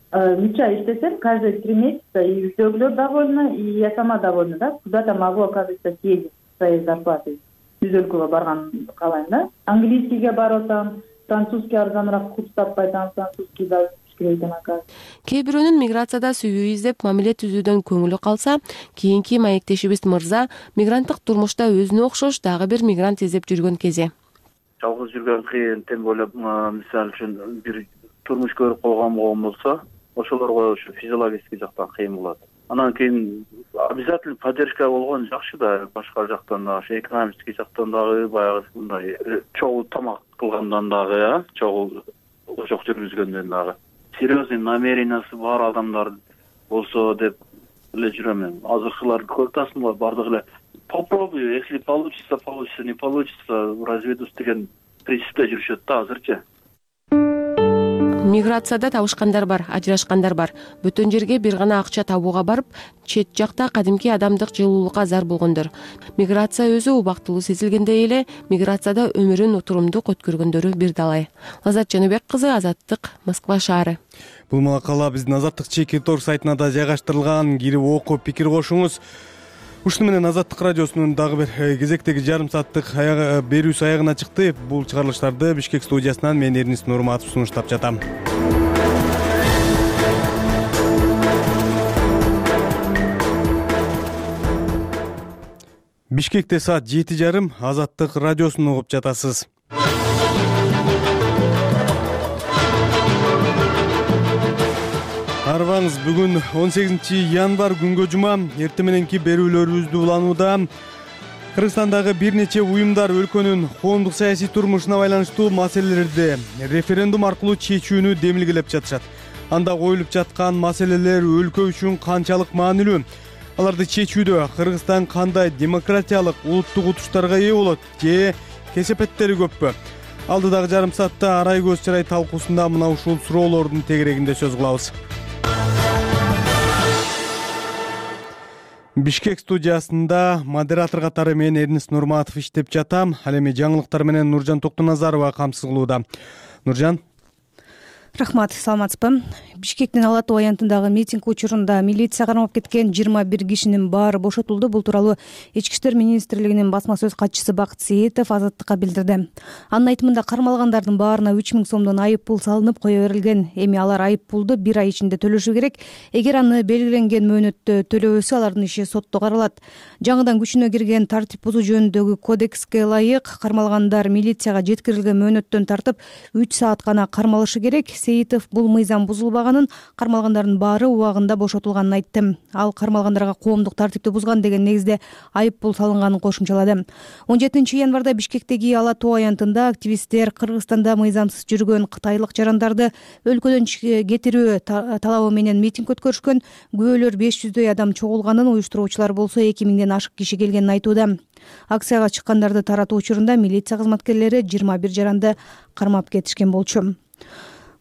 3 ай иштесем, каждый 3 месяца и үйдөгүлөр довольны, и я сама довольна, да. Куда-то могу, оказывается, съездить своей зарплатой. Жүз өлкөгө барган калайм да. Английскийге барып атам, французский арзаныраак курс таппай атам, французский да экен ака. Кээ бирөөнүн миграцияда сүйүү издеп мамиле түзүүдөн көңүлү калса, кийинки маектешибиз мырза мигранттык турмушта өзүнө окшош дагы бир мигрант издеп жүргөн кези. Жалгыз жүргөн кыйын, тем ойлоп, мисалы үчүн бир турмуш көрүп койгон болсо, ошолорго ушу физиологический жактан кыйын болот. Анан кийин обязательно поддержка болгон жакшы да, башка жактан да, экономический жактан дагы, баягы мындай чогуу тамак кылгандан дагы, чогуу ошок жүргүзгөндөн дагы. Серьезный намерениясы бар адамдар болсо деп эле жүрөм. Азыркылар көп тасмалар бардыгы эле попробую, если получится, получится, не получится, разведусь деген принципте жүрүшөт да азырчы. Миграцияда табышкандар бар, ажырашкандар бар. Бүтөн жерге бир гана акча табууга барып, чет жакта кадимки адамдык жылуулукка зар болгондор. Миграция өзү убактылуу сезилгендей эле, миграцияда өмүрүн утурумдук өткөргөндөрү бир далай. Лаззат Жаныбек кызы, Азаттык, Москва шаары. Бул макала биздин Азаттык чекит торг сайтына да жайгаштырылган. Кирип окуп, пикир кошуңуз. Ушуну менен Азаттык радиосунун дагы бир кезектеги жарым сааттык берүүсү аягына чыкты. Бул чыгарылыштарды Бишкек студиясынан мен Эрнис Нурматов сунуштап жатам. Бишкекте саат 7:30, Азаттык радиосун угуп жатасыз. Арбаңыз, бүгүн 18 январь күнгө жума. Эртең мененки берүүлөрүбүздү уланууда Кыргызстандагы бир нече уюмдар өлкөнүн коомдук саясий турмушуна байланыштуу маселелерди референдум аркылуу чечүүнү демилгелеп жатышат. Анда коюлуп жаткан маселелер өлкө үчүн канчалык маанилүү? Аларды чечүүдө Кыргызстан кандай демократиялык, улуттук утуштарга ээ болот же кесепеттери көппү? Алдыдагы жарым саатта арай көз чырай талкуусунда мына ушул суроолордун тегерегинде сөз кылабыз. Бишкек студиясында модератор катары мен Эрнис Нурматов иштеп жатам. Ал эми жаңылыктар менен Нуржан Токтоназарова камсыз кылууда. Нуржан. Рахмат, саламатсызбы? Бишкектин Ала Тоо аянтындагы митинг учурунда милиция кармап кеткен 21 кишинин баары бошотулду. Бул тууралуу Ички иштер министрлигинин басма сөз катчысы Бакыт Сейитов Азаттыкка билдирди. Анын айтымында кармалгандардын баарына 3000 сомдон айып пул салынып кое берилген. Эми алар айып пулду 1 ай ичинде төлөшү керек. Эгер аны белгиленген мөөнөттө төлөбөсө, алардын иши сотто каралат. Жаңыдан күчүнө кирген тартип бузуу жөнүндөгү кодекске ылайык кармалгандар милицияга жеткирилген мөөнөттөн тартып 3 саат гана кармалышы керек. Сейитов бул мыйзам бузулбаганын, кармалгандардын баары убагында бошотулганын айтты. Ал кармалгандарга коомдук тартипти бузган деген негизде айып пул салынганын кошумчалады. 17 январда Бишкектеги Ала Тоо аянтында активисттер Кыргызстанда мыйзамсыз жүргөн кытайлык жарандарды өлкөдөн кетирүү талабы менен митинг өткөрүшкөн. Күбөлөр 500дөй адам чогулганын, уюштуруучулар болсо 2000ден ашык киши келгенин айтууда. Акцияга чыккандарды таратуу учурунда милиция кызматкерлери 21 жаранды кармап кетишкен болчу.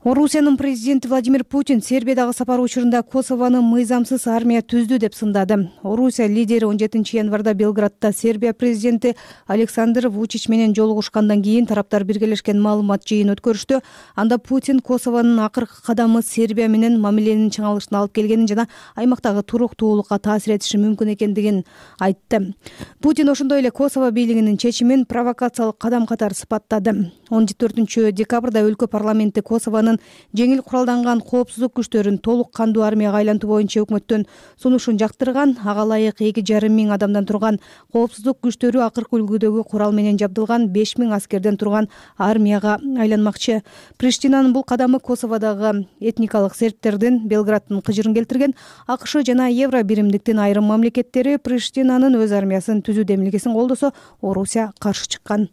Орусиянын президенти Владимир Путин Сербиядагы сапары учурунда Косовону мыйзамсыз армия түздү деп сындады. Орусия лидери 17 январда Белградта Сербия президенти Александр Вучич менен жолугушкандан кийин тараптар биргелешкен маалымат жыйын өткөрүштү. Анда Путин Косовонун акыркы кадамы Сербия менен мамиленин чыңалышына алып келгенин жана аймактагы туруктуулукка таасир этиши мүмкүн экендигин айтты. Путин ошондой эле Косово бийлигинин чечимин провокациялык кадам катары сыпаттады. 14 декабрда өлкө парламенти Косовонун жеңил куралданган коопсуздук күчтөрүн толук кандуу армияга айлантуу боюнча өкмөттөн сунушун жактырган. Ага ылайык 2,5 миң адамдан турган коопсуздук күчтөрү акыркы үлгүдөгү курал менен жабдылган 5000 аскерден турган армияга айланмакчы. Приштинанын бул кадамы Косоводогу этникалык сербтердин Белградтын кыжырын келтирген. АКШ жана Евро биримдиктин айрым мамлекеттери Приштинанын өз армиясын түзүү демилгесин колдосо, Орусия каршы чыккан.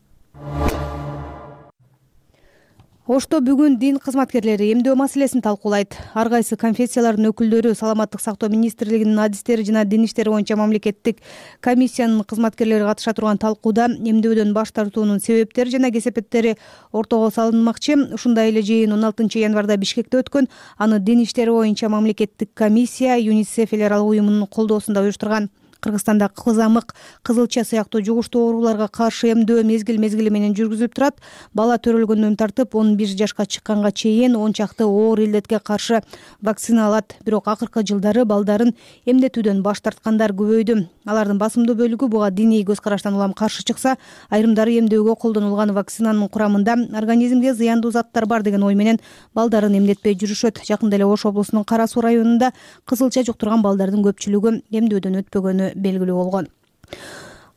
Ошто бүгүн дин кызматкерлери эмдөө маселесин талкуулайт. Ар кайсы конфессиялардын өкүлдөрү Саламаттык сактоо министрлигинин адистери жана дин иштери боюнча мамлекеттик комиссиянын кызматкерлери катыша турган талкууда эмдөөдөн баш тартуунун себептери жана кесепеттери ортого салынмакчы. Ушундай эле жыйын 16 январда Бишкекте өткөн. Аны дин иштери боюнча мамлекеттик комиссия ЮНИСЕФ эл аралык уюмунун колдоосунда уюштурган. Кыргызстанда кызамык, кызылча сыяктуу жугуштуу ооруларга каршы эмдөө мезгил менен жүргүзүлүп турат. Бала төрөлгөндөн тартып 11 жашка чыкканга чейин 10 чакты оор илдетке каршы вакцина алат. Бирок акыркы жылдары балдарын эмдетүүдөн баш тарткандар көбөйдү. Алардын басымдуу бөлүгү буга диний көз караштан улам каршы чыкса, айрымдары эмдөөгө колдонулган вакцинанын курамында организмге зыяндуу заттар бар деген ой менен балдарын эмдетпей жүрүшөт. Жакында эле Ош облусунун Кара Суу районунда кызылча жуктурган балдардын көпчүлүгү эмдөөдөн өтпөгөнү белгилүү болгон.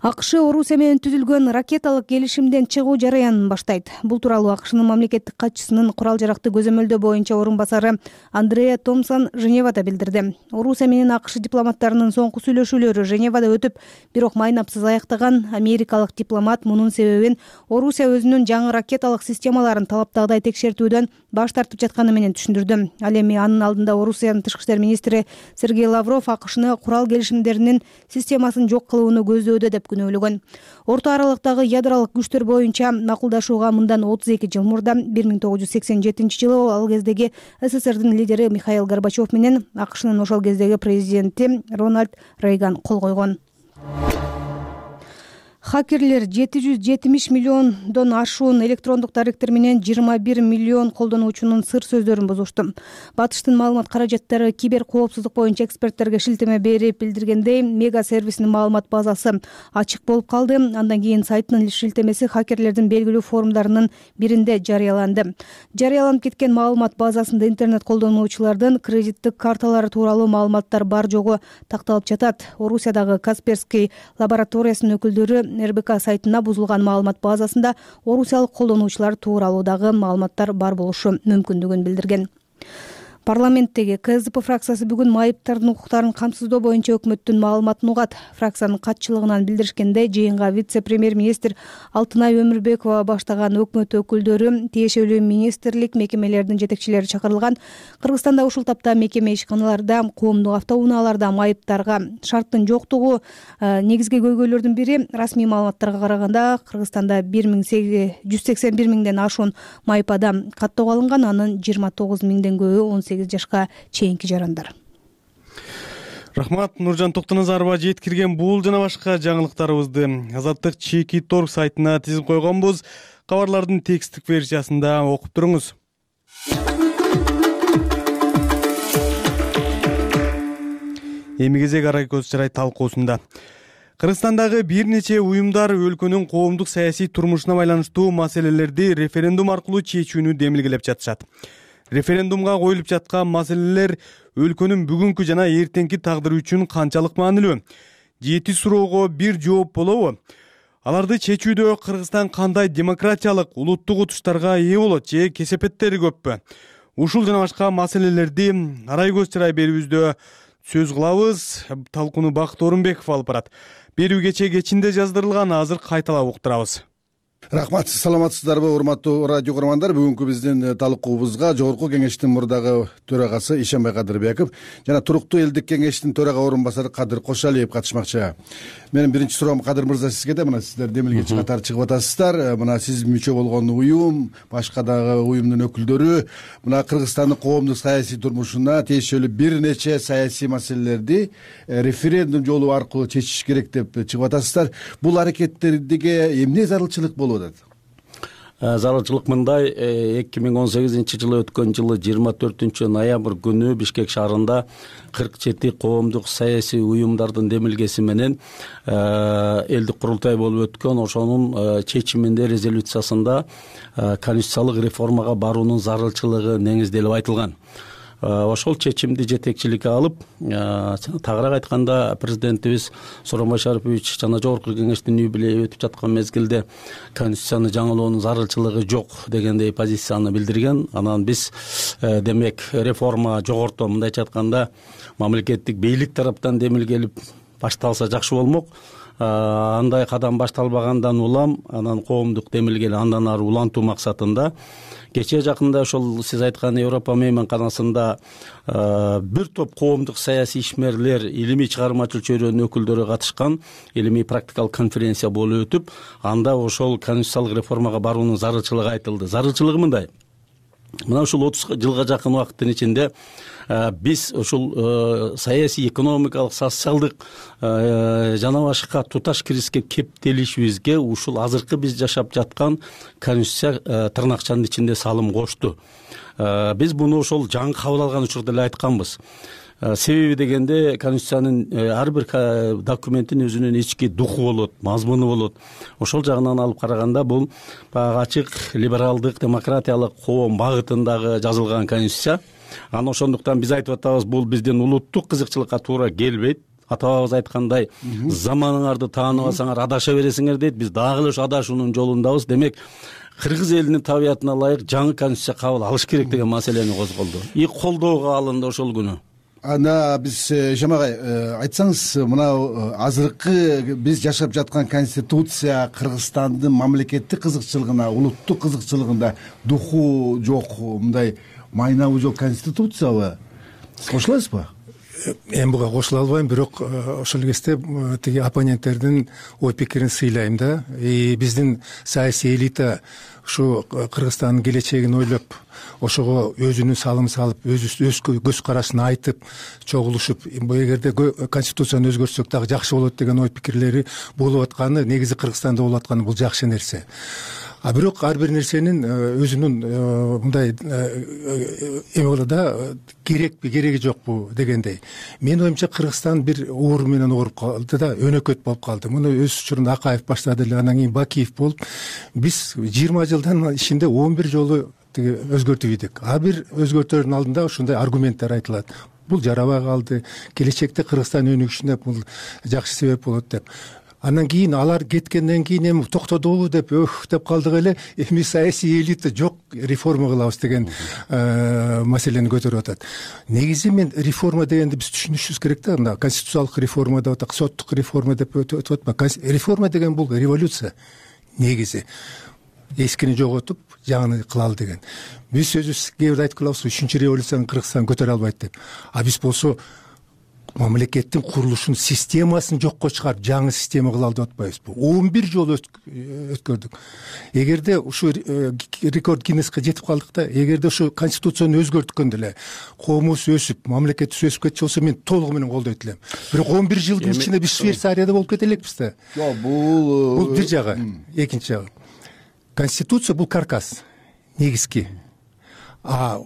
АКШ Орусия менен түзүлгөн ракеталык келишимден чыгуу жараянын баштайт. Бул тууралуу АКШнын мамлекеттик катчысынын курал жаракты көзөмөлдөө боюнча орун басары Андреа Томпсон Женевада билдирди. Орусия менен АКШ дипломаттарынын соңку сүйлөшүүлөрү Женевада өтүп, бирок майнапсыз аяктаган. Америкалык дипломат мунун себебин Орусия өзүнүн жаңы ракеталык системаларын талаптагыдай текшертүүдөн баш тартып жатканы менен түшүндүрдү. Ал эми анын алдында Орусиянын тышкы иштер министри Сергей Лавров АКШны курал келишимдеринин системасын жок кылууну көздөөдө деп көп күнөөлөгөн. Орто аралыктагы ядролук күчтөр боюнча макулдашууга мындан 32 жыл мурда 1987-жылы ал кездеги СССРдин лидери Михаил Горбачев менен АКШнын ошол кездеги президенти Рональд Рейган кол койгон. Хакерлер 770 миллиондон ашуун электрондук даректер менен 21 миллион колдонуучунун сыр сөздөрүн бузушту. Батыштын маалымат каражаттары кибер коопсуздук боюнча эксперттерге шилтеме берип билдиргендей, Мега сервисинин маалымат базасы ачык болуп калды. Андан кийин сайттын шилтемеси хакерлердин белгилүү форумдарынын биринде жарыяланды. Жарыяланып кеткен маалымат базасында интернет колдонуучулардын кредиттик карталары тууралуу маалыматтар бар жогу такталып жатат. Орусиядагы Касперский лабораториясынын өкүлдөрү РБК сайтына бузулган маалымат базасында орусиялык колдонуучулар тууралуу дагы маалыматтар бар болушу мүмкүндүгүн билдирген. Парламенттеги КСДП фракциясы бүгүн майыптардын укуктарын камсыздоо боюнча өкмөттүн маалыматын угат. Фракциянын катчылыгынан билдиришкендей, жыйынга вице-премьер-министр Алтынай Өмүрбекова баштаган өкмөт өкүлдөрү, тиешелүү министрлик, мекемелердин жетекчилери чакырылган. Кыргызстанда ушул тапта мекеме ишканаларда, коомдук автоунааларда майыптарга шарттын жоктугу негизги көйгөйлөрдүн бири. Расмий маалыматтарга караганда, Кыргызстанда 181 миңден ашуун майып адам каттоого алынган, анын 29 миңден көбү 18 жашка чейинки жарандар. Рахмат, Нуржан Токтоназарова жеткирген бул жана башка жаңылыктарыбызды Азаттык Чеки.Торг сайтына тизип койгонбуз. Кабарлардын тексттик версиясында окуп туруңуз. Эми кезек Арай көз чырай талкуусунда. Кыргызстандагы бир нече уюмдар өлкөнүн коомдук саясий турмушуна байланыштуу маселелерди референдум аркылуу чечүүнү демилгелеп жатышат. Референдумга коюлуп жаткан маселелер өлкөнүн бүгүнкү жана эртеңки тагдыры үчүн канчалык маанилүү? 7 суроого бир жооп болобу? Аларды чечүүдө Кыргызстан кандай демократиялык, улуттук утуштарга ээ болот же кесепеттери көппү? Ушул жана башка маселелерди Арай көз чырай берүүбүздө сөз кылабыз. Талкууну Бакыт Орунбеков алып барат. Берүү кечээ кечинде жаздырылган, азыр кайталап уктурабыз. Рахмат, саламатсыздарбы урматтуу радио көрөрмандар. Бүгүнкү биздин талкуубузга Жогорку Кеңештин мурдагы төрагасы Ишенбай Кадырбеков жана Туруктуу элдик кеңештин төрага орун басары Кадыр Кошалиев катышмакчы. Менин биринчи суроом Кадыр мырза сизге да. Мына сиздер демилгечи катары чыгып атасыздар. Мына сиз мүчө болгон уюм, башка дагы уюмдун өкүлдөрү мына Кыргызстандын коомдук саясий турмушуна тиешелүү бир нече саясий маселелерди референдум жолу аркылуу чечиш керек деп чыгып атасыздар. Бул аракеттерге эмне зарылчылык болуп атат? Зарылчылык мындай: 2018-жылы өткөн жылы 24 ноябрь күнү Бишкек шаарында 47 коомдук саясий уюмдардын демилгеси менен элдик курултай болуп өткөн. Ошонун чечиминде, резолюциясында конституциялык реформага баруунун зарылчылыгы негизделип айтылган. Ошол чечимди жетекчиликке алып, тагыраак айтканда президентибиз Сооронбай Шарипович жана Жогорку Кеңештин юбилейи өтүп жаткан мезгилде конституцияны жаңылоонун зарылчылыгы жок дегендей позицияны билдирген. Анан биз демек реформа жогорто, мындайча айтканда, мамлекеттик бийлик тараптан демилгелип башталса жакшы болмок. Андай кадам башталбагандан улам анан коомдук демилгени андан ары улантуу максатында кечээ жакында ошол сиз айткан Европа мейманканасында бир топ коомдук саясий ишмерлер, илимий чыгармачыл чөйрөнүн өкүлдөрү катышкан илимий практикалык конференция болуп өтүп, анда ошол конституциялык реформага баруунун зарылчылыгы айтылды. Зарылчылыгы мындай: мына ушул 30 жылга жакын убакыттын ичинде биз ушул саясий, экономикалык, социалдык жана башка туташ кризиске кептелишибизге ушул азыркы биз жашап жаткан конституция тырнакчанын ичинде салым кошту. Биз муну ошол жаңы кабыл алган учурда эле айтканбыз. Себеби дегенде, конституциянын ар бир документин өзүнүн ички духу болот, мазмуну болот. Ошол жагынан алып караганда бул баягы ачык либералдык, демократиялык коом багытындагы жазылган конституция. Анан ошондуктан биз айтып атабыз, бул биздин улуттук кызыкчылыкка туура келбейт. Ата-бабабыз айткандай, заманыңарды тааныбасаңар адаша бересиңер дейт. Биз дагы эле ошо адашуунун жолундабыз. Демек, кыргыз элинин табиятына ылайык жаңы конституция кабыл алыш керек деген маселени козголду. И колдоого алынды ошол күнү. Анда биз Жамагай айтсаңыз, мына азыркы биз жашап жаткан конституция Кыргызстандын мамлекеттик кызыкчылыгына, улуттук кызыкчылыгында духу жок, мындай майнабы жок конституциябы? Кошуласызбы? эми буга кошула албайм, бирок ошол кезде тиги оппоненттердин ой пикирин сыйлайм да. Биздин саясий элита ушу Кыргызстандын келечегин ойлоп, ошого өзүнүн салымын салып, өз көз карашын айтып, чогулушуп, эгерде конституцияны өзгөртсөк дагы жакшы болот деген ой пикирлери болуп атканы, негизи Кыргызстанда болуп атканы бул жакшы нерсе. А бирок ар бир нерсенин өзүнүн мындай эме болот да, керекпи, кереги жокпу дегендей. Менин оюмча Кыргызстан бир оору менен ооруп калды да, өнөкөт болуп калды. Муну өз учурунда Акаев баштады эле, анан кийин Бакиев болуп, биз 20 жылдын ичинде 11 жолу тиги өзгөртүп ийдик. Ар бир өзгөртүүнүн алдында ушундай аргументтер айтылат. Бул жарабай калды, келечекте Кыргызстан өнүгүшүнө бул жакшы себеп болот деп. Андан кийин алар кеткенден кийин эми токтодубу деп деп калдык эле, эми саясий элита жок, реформа кылабыз деген маселени көтөрүп атат. Негизи мен реформа дегенди биз түшүнүшүбүз керек да, мына конституциялык реформа деп атат, соттук реформа деп өтүп атпайбы? Реформа деген бул революция негизи. Эскини жоготуп, жаңыны кылалы деген. Биз өзүбүз кээ бирде айтып калабыз, 3-чү революцияны Кыргызстан көтөрө албайт деп. А биз болсо мамлекеттин курулушун, системасын жокко чыгарып, жаңы система кылалы деп атпайбызбы? 11 жол өткөрдүк. Эгерде ушу рекорд Гиннеске жетип калдык да, эгерде ушу конституцияны өзгөрткөндө эле коомубуз өсүп, мамлекетибиз өсүп кетчү болсо, мен толугу менен колдойт элем. Бирок 11 жылдын ичинде биз Швейцарияда болуп кете элекпиз да. Жок, бул бир жагы, экинчи жагы. Конституция бул каркас, негизги. А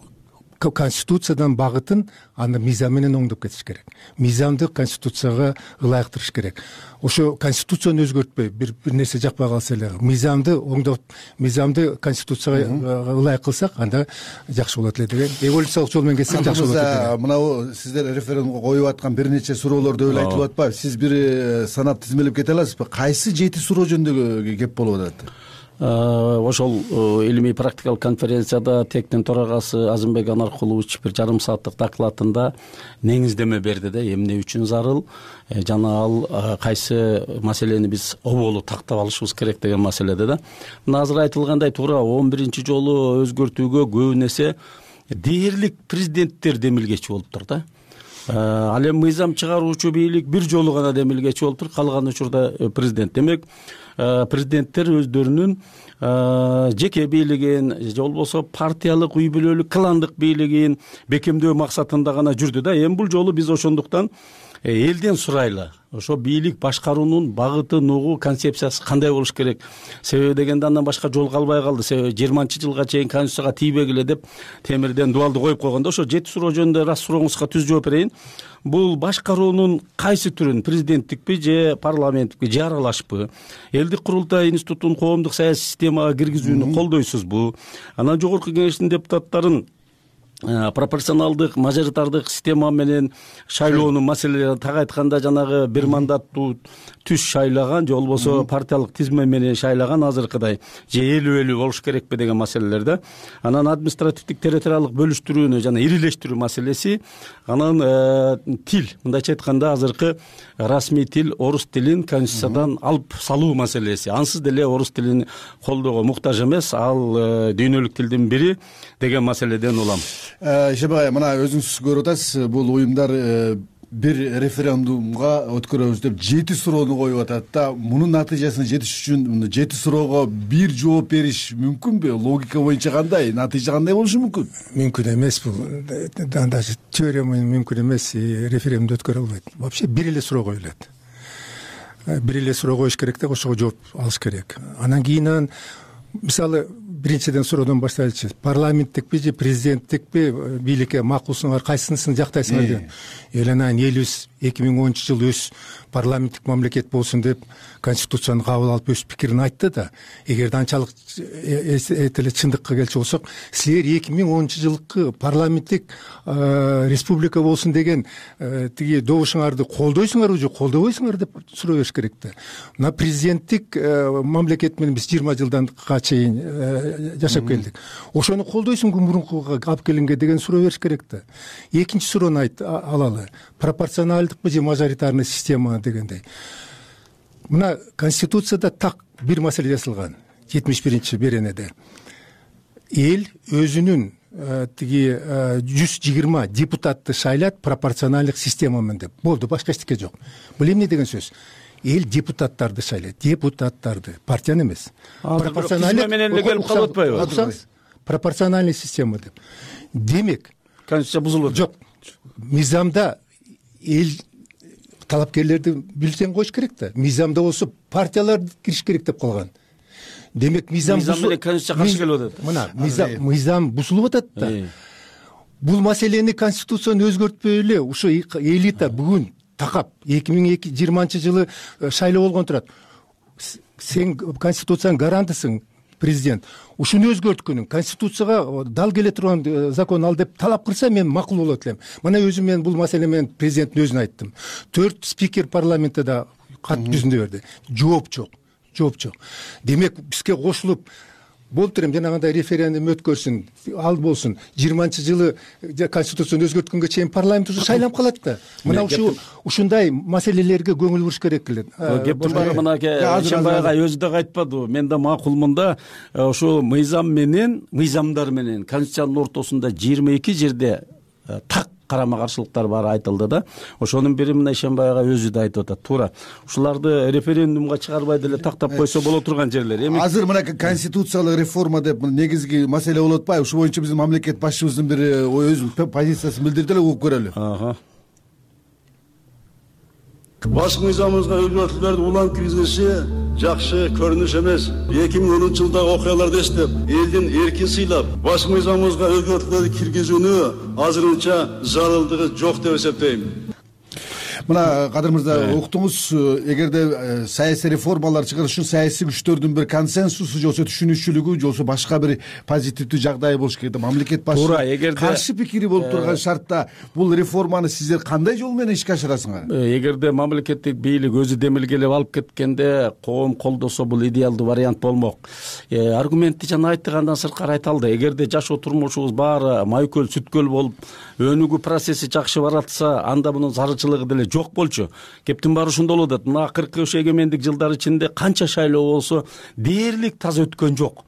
конституциядан багытын аны мыйзам менен оңдоп кетиш керек. Мыйзамды конституцияга ылайыктырыш керек. Ошо конституцияны өзгөртпөй, бир нерсе жакпай калса эле, мыйзамды оңдоп, мыйзамды конституцияга ылайык кылсак, анда жакшы болот эле деген. Эволюциялык жол менен кетсек жакшы болот эле. Мына сиздер референдумга коюп аткан бир нече суроолорду эле айтылып атпайбы? Сиз бир санап тизмелеп кете аласызбы? Кайсы 7 суроо жөнүндө кеп болуп атат? Ошол илимий практикалык конференцияда ТЭКтин төрагасы Азымбек Анаркулович бир жарым сааттык докладында негиздеме берди да, эмне үчүн зарыл, жана ал кайсы маселени биз оболу тактап алышыбыз керек деген маселеде да. Мына азыр айтылгандай туура 11 жолу өзгөртүүгө көбүн эсе дээрлик президенттер демилгечи болуптур да. Ал эми мыйзам чыгаруучу бийлик бир жолу гана демилгечи болуптур, калган учурда президент. Демек президенттер өздөрүнүн жеке бийлигин же болбосо партиялык, үй бүлөлүк, кландык бийлигин бекемдөө максатында гана жүрдү да. Эми бул жолу биз ошондуктан элден сурайлы. Ошо бийлик башкаруунун багыты, нугу, концепциясы кандай болуш керек? Себеби дегенде андан башка жол калбай калды. Себеби 20-жылга чейин конституцияга тийбегиле деп темирден дубалды коюп койгондо, ошо 7 суроо жөнүндө раз сурооңузга түз жооп берейин. Бул башкаруунун кайсы түрүн, президенттикпи же парламенттикпи же аралашпы? Элдик курултай институтун коомдук саясий системага киргизүүнү колдойсузбу? Анан жогорку кеңештин депутаттарын пропорционалдык, мажоритардык система менен шайлоонун маселелери, так айтканда жанагы бир мандаттуу түз шайлаган же болбосо партиялык тизме менен шайлаган азыркыдай же элүү болуш керекпи деген маселелерде. Анан административдик территориялык бөлүштүрүүнү жана ирилештирүү маселеси, анан тил, мындайча айтканда азыркы расмий тил орус тилин конституциядан алып салуу маселеси. Ансыз деле орус тилин колдоого муктаж эмес, ал дүйнөлүк тилдин бири деген маселеден улам. Ишембай ай, мына өзүңүз көрүп атасыз, бул уюмдар бир референдумга өткөрөбүз деп 7 суроону коюп атат да. Мунун натыйжасына жетиш үчүн 7 суроого бир жооп бериш мүмкүнбү? Логика боюнча кандай? Натыйжа кандай болушу мүмкүн? Мүмкүн эмес бул. Даже теория менен мүмкүн эмес, референдум өткөрө албайт. Вообще бир эле суроо коюлат. Бир эле суроо коюш керек да, ошого жооп алыш керек. Анан кийин мисалы биринчиден суроодон баштайлычы. Парламенттикпи же президенттикпи бийликке макулсуңар, кайсынысын жактайсыңар деп. Анан элибиз 2010-жыл өз парламенттик мамлекет болсун деп конституцияны кабыл алып өз пикирин айтты да. Эгерде анчалык эле чындыкка келчү болсок, силер 2010-жылкы парламенттик республика болсун деген тиги добушуңарды колдойсуңарбы же колдобойсуңар деп суроо бериш керек да. Мына президенттик мамлекет менен биз 20 жылданга чейин жашап келдик. Ошону колдойсуңбу мурункуга алып келинге деген суроо бериш керек да. Экинчи суроону алалы. Пропорционалдыкпы же мажоритарный система дегендей. Мына конституцияда так бир маселе жазылган. 71-беренеде. Эл өзүнүн тиги 120 депутатты шайлат пропорционалдык система менен деп болду, башка эчтеке жок. Бул эмне деген сөз? Эл депутаттарды шайлайт, депутаттарды, партияны эмес. Пропорционалдык менен эле келип калып атпайбы? Пропорциональный система деп. Демек, конституция бузулат. Жок. Мыйзамда эл талапкерлерди бюллетень коюш керек да. Мыйзамда болсо партиялар кириш керек деп калган. Демек мыйзам менен конституция каршы келип атат. Мына мыйзам бузулуп атат да. Бул маселени конституцияны өзгөртпөй эле ушу элита бүгүн такап 2020-жылы шайлоо болгон турат. Сен конституциянын гарантысың, президент. Ушуну өзгөрткөнүң конституцияга дал келе турган закон ал деп талап кылса мен макул болот элем. Мына өзүм мен бул маселе менен президенттин өзүнө айттым. 4 спикер парламентте да кат жүзүндө берди. Жооп жок. Демек бизге кошулуп болуптур эми жанагындай референдум өткөрсүн, ал болсун. 20-жылы конституцияны өзгөрткөнгө чейин парламент уже шайланып калат да. Мына ушундай маселелерге көңүл буруш керек эле. Кептин баары мынакей Ишембай өзү да айтпадыбы? Мен да макулмун да. Ошол мыйзамдар менен конституциянын ортосунда 22 жерде так карама каршылыктар баары айтылды да. Ошонун бири мына Ишембайга өзү да айтып атат. Туура. Ушуларды референдумга чыгарбай деле тактап койсо боло турган жерлер. Эми азыр мына конституциялык реформа деп негизги маселе болуп атпайбы? Ушу боюнча биздин мамлекет башчыбыздын бир өзүнүн позициясын билдирди эле, угуп көрөлү. Баш мыйзамыбызга өзгөртүүлөрдү улам киргизгенче жакшы көрүнүш эмес. 2010-жылдагы окуяларды эстеп, элдин эркин сыйлап, баш мыйзамыбызга өзгөртүүлөрдү киргизүүнү азырынча зарылдыгы жок деп эсептейм. Мына Кадыр мырза, уктуңуз, эгерде саясий реформалар чыгарыш үчүн саясий күчтөрдүн бир консенсусу жолсо түшүнүкчүлүгү жолсо башка бир позитивдүү жагдай болуш керек. Мамлекет башчысы каршы пикири болуп турган шартта бул реформаны сиздер кандай жол менен ишке ашырасыңар? Эгерде мамлекеттик бийлик өзү демилгелеп алып кеткенде коом колдосо бул идеалдуу вариант болмок. Аргументти жана айттыгандан сырткары айта алды. Эгерде жашоо турмушубуз баары майкөл сүткөл болуп, өнүгүү процесси жакшы баратса, анда мунун зарылчылыгы деле жок болчу. Кептин баары ушунда болуп атат. Мына 40 эгемендик жылдар ичинде канча шайлоо болсо дээрлик таза өткөн жок.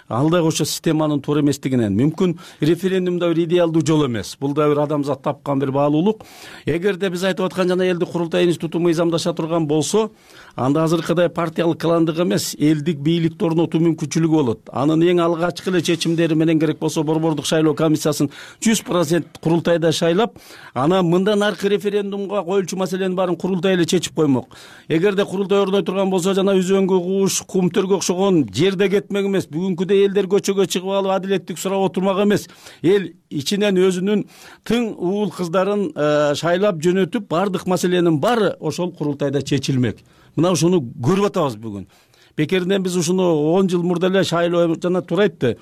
Ал да ошо системанын туура эместигинен. Мүмкүн референдум да бир идеалдуу жол эмес. Бул да бир адамзат тапкан бир баалуулук. Эгерде биз айтып аткан жана элдик курултай институту мыйзамдаша турган болсо, анда азыркыдай партиялык кландык эмес, элдик бийликти орнотуу мүмкүнчүлүгү болот. Анын эң алгачкы эле чечимдери менен керек болсо борбордук шайлоо комиссиясын 100% курултайда шайлап, анан мындан аркы референдумга коюлчу маселенин баарын курултай эле чечип коймок. Эгерде курултай ордой турган болсо, жана өзөнгө кууш, кумтөргө окшогон жерде кетмек эмес. Бүгүнкүдөй элдер көчөгө чыгып алып адилеттик сурап отурмак эмес. Эл ичинен өзүнүн тың уул кыздарын шайлап жөнөтүп, бардык маселенин баары ошол курултайда чечилмек. Мына ушуну көрүп атабыз бүгүн. Бекеринен биз ушуну 10 жыл мурда эле шайлоо жана туура айтты.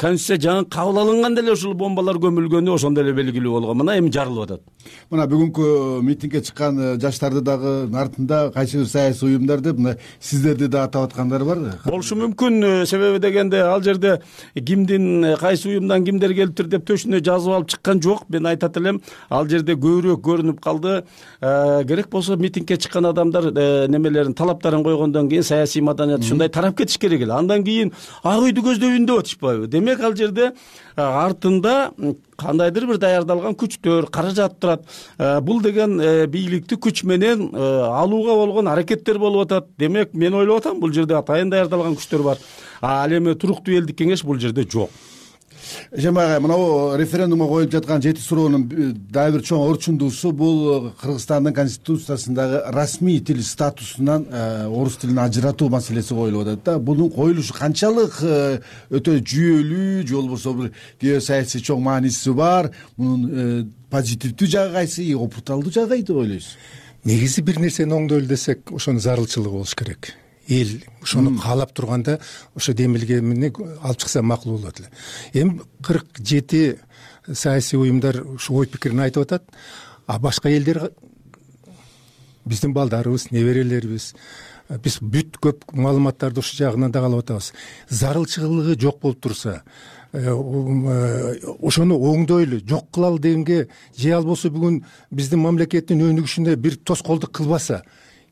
Конституция жаңы кабыл алынганда эле ушул бомбалар көмүлгөнү ошондо эле белгилүү болгон. Мына эми жарылып атат. Мына бүгүнкү митингге чыккан жаштарды дагы артында кайсы бир саясий уюмдар деп мына сиздерди да атап аткандар барбы? Болушу мүмкүн. Себеби дегенде ал жерде кимдин кайсы уюмдан кимдер келиптир деп төшүнө жазып алып чыккан жок. Мен айтат элем, ал жерде көбүрөөк көрүнүп калды. Керек болсо митингге чыккан адамдар немелерин, талаптарын койгондон кийин саясий ушундай тарап кетиш керек эле. Андан кийин ак үйдү көздөйүн деп атышпайбы? Демек ал жерде артында кандайдыр бир даярдалган күчтөр, каражат турат. Бул деген бийликти күч менен алууга болгон аракеттер болуп атат. Демек мен ойлоп атам, бул жерде атайын даярдалган күчтөр бар. Ал эми туруктуу элдик кеңеш бул жерде жок. Ишембай, мына референдумга коюлуп жаткан 7 суроонун дагы бир чоң орчундуусу бул Кыргызстандын конституциясындагы расмий тил статусунан орус тилин ажыратуу маселеси коюлуп атат да. Бунун коюлушу канчалык өтө жүйөлүү, же болбосо бир геосаясий чоң мааниси бар? Мунун позитивдүү жагы кайсы, опурталдуу жагы кайсы деп ойлойсуз? Негизи бир нерсени оңдойлу десек, ошонун зарылчылыгы болуш керек. Эл ошону каалап турганда ошо демилгемени алып чыкса макул болот эле. Эми 47 саясий уюмдар ушу ой пикирин айтып атат. А башка элдер, биздин балдарыбыз, неберелерибиз, биз бүт көп маалыматтарды ушул жагынан да алып атабыз. Зарылчылыгы жок болуп турса, ошону оңдойлу, жок кылалы дегенге, же ал болсо бүгүн биздин мамлекеттин өнүгүшүнө бир тоскоолдук кылбаса,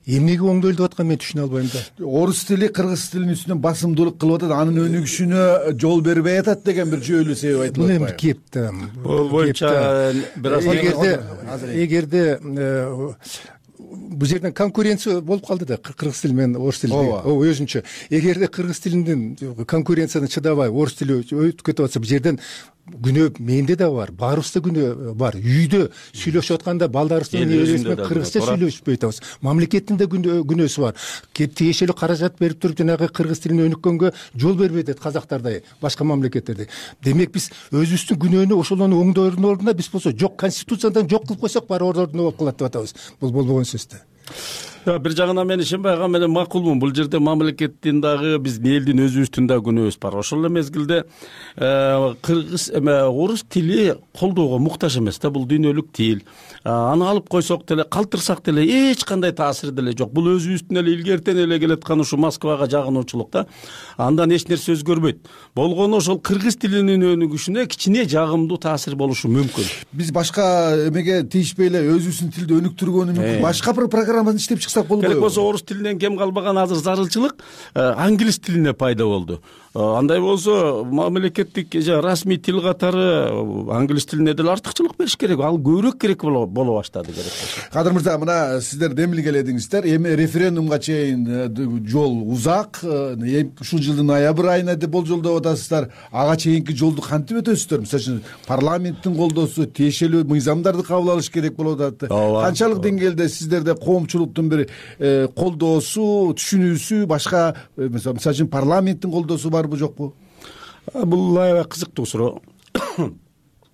эмнеге оңдолуп атканын мен түшүнө албайм да. Орус тили кыргыз тилинин үстүнөн басымдуулук кылып атат, анын өнүгүшүнө жол бербей атат деген бир жүйөлүү себеп айтылып атпайбы? Бул эми кеп да. Бул боюнча эгерде бул жерден конкуренция болуп калды да кыргыз тили менен орус тили. Өзүнчө эгерде кыргыз тилинин конкуренцияны чыдабай орус тили өтүп кетип атса, бул жерден күнөө менде да бар, баарыбызда күнөө бар. Үйдө сүйлөшүп атканда балдарыбыздын кыргызча сүйлөшпөй атабыз. Мамлекеттин да күнөөсү бар. Тиешелүү каражат берип туруп жанагы кыргыз тилин өнүккөнгө жол бербейт атат казактардай, башка мамлекеттерде. Демек биз өзүбүздүн күнөөнү ошолорду оңдоодун ордуна биз болсо жок, конституциядан жок кылып койсок баары ордуна болуп калат деп атабыз. Бул болбогон сөз да. Бир жагынан мен ишенбей ага менен макулмун. Бул жерде мамлекеттин дагы биздин элдин өзүбүздүн да күнөөбүз бар. Ошол эле мезгилде кыргыз орус тили колдоого муктаж эмес да, бул дүйнөлүк тил. Аны алып койсок деле, калтырсак деле эч кандай таасири деле жок. Бул өзүбүздүн эле илгертен эле келаткан ушу Москвага жагынуучулук да. Андан эч нерсе өзгөрбөйт. Болгону ошол кыргыз тилинин өнүгүшүнө кичине жагымдуу таасир болушу мүмкүн. Биз башка эмеге тийишпей эле өзүбүздүн тилди өнүктүргөнү мүмкүн. Башка бир программаны иштеп чыксак болбойбу? Керек болсо орус тилинен кем калбаган азыр зарылчылык англис тилине пайда болду. Андай болсо мамлекеттик расмий тил катары англис тилине деле артыкчылык бериш керек. Ал көбүрөөк керек боло баштады керек болсо. Кадыр мырза, мына сиздер демилгеледиңиздер. Эми референдумга чейин жол узак. Ушул жылдын ноябрь айына деп болжолдоп атасыздар. Ага чейинки жолду кантип өтөсүздөр? Мисалы үчүн парламенттин колдоосу, тиешелүү мыйзамдарды кабыл алыш керек болуп атат. Канчалык деңгээлде сиздерде коомчулуктун бир колдоосу, түшүнүүсү, башка мисалы үчүн парламенттин колдоосу барбы жокпу? Бул аябай кызыктуу суроо.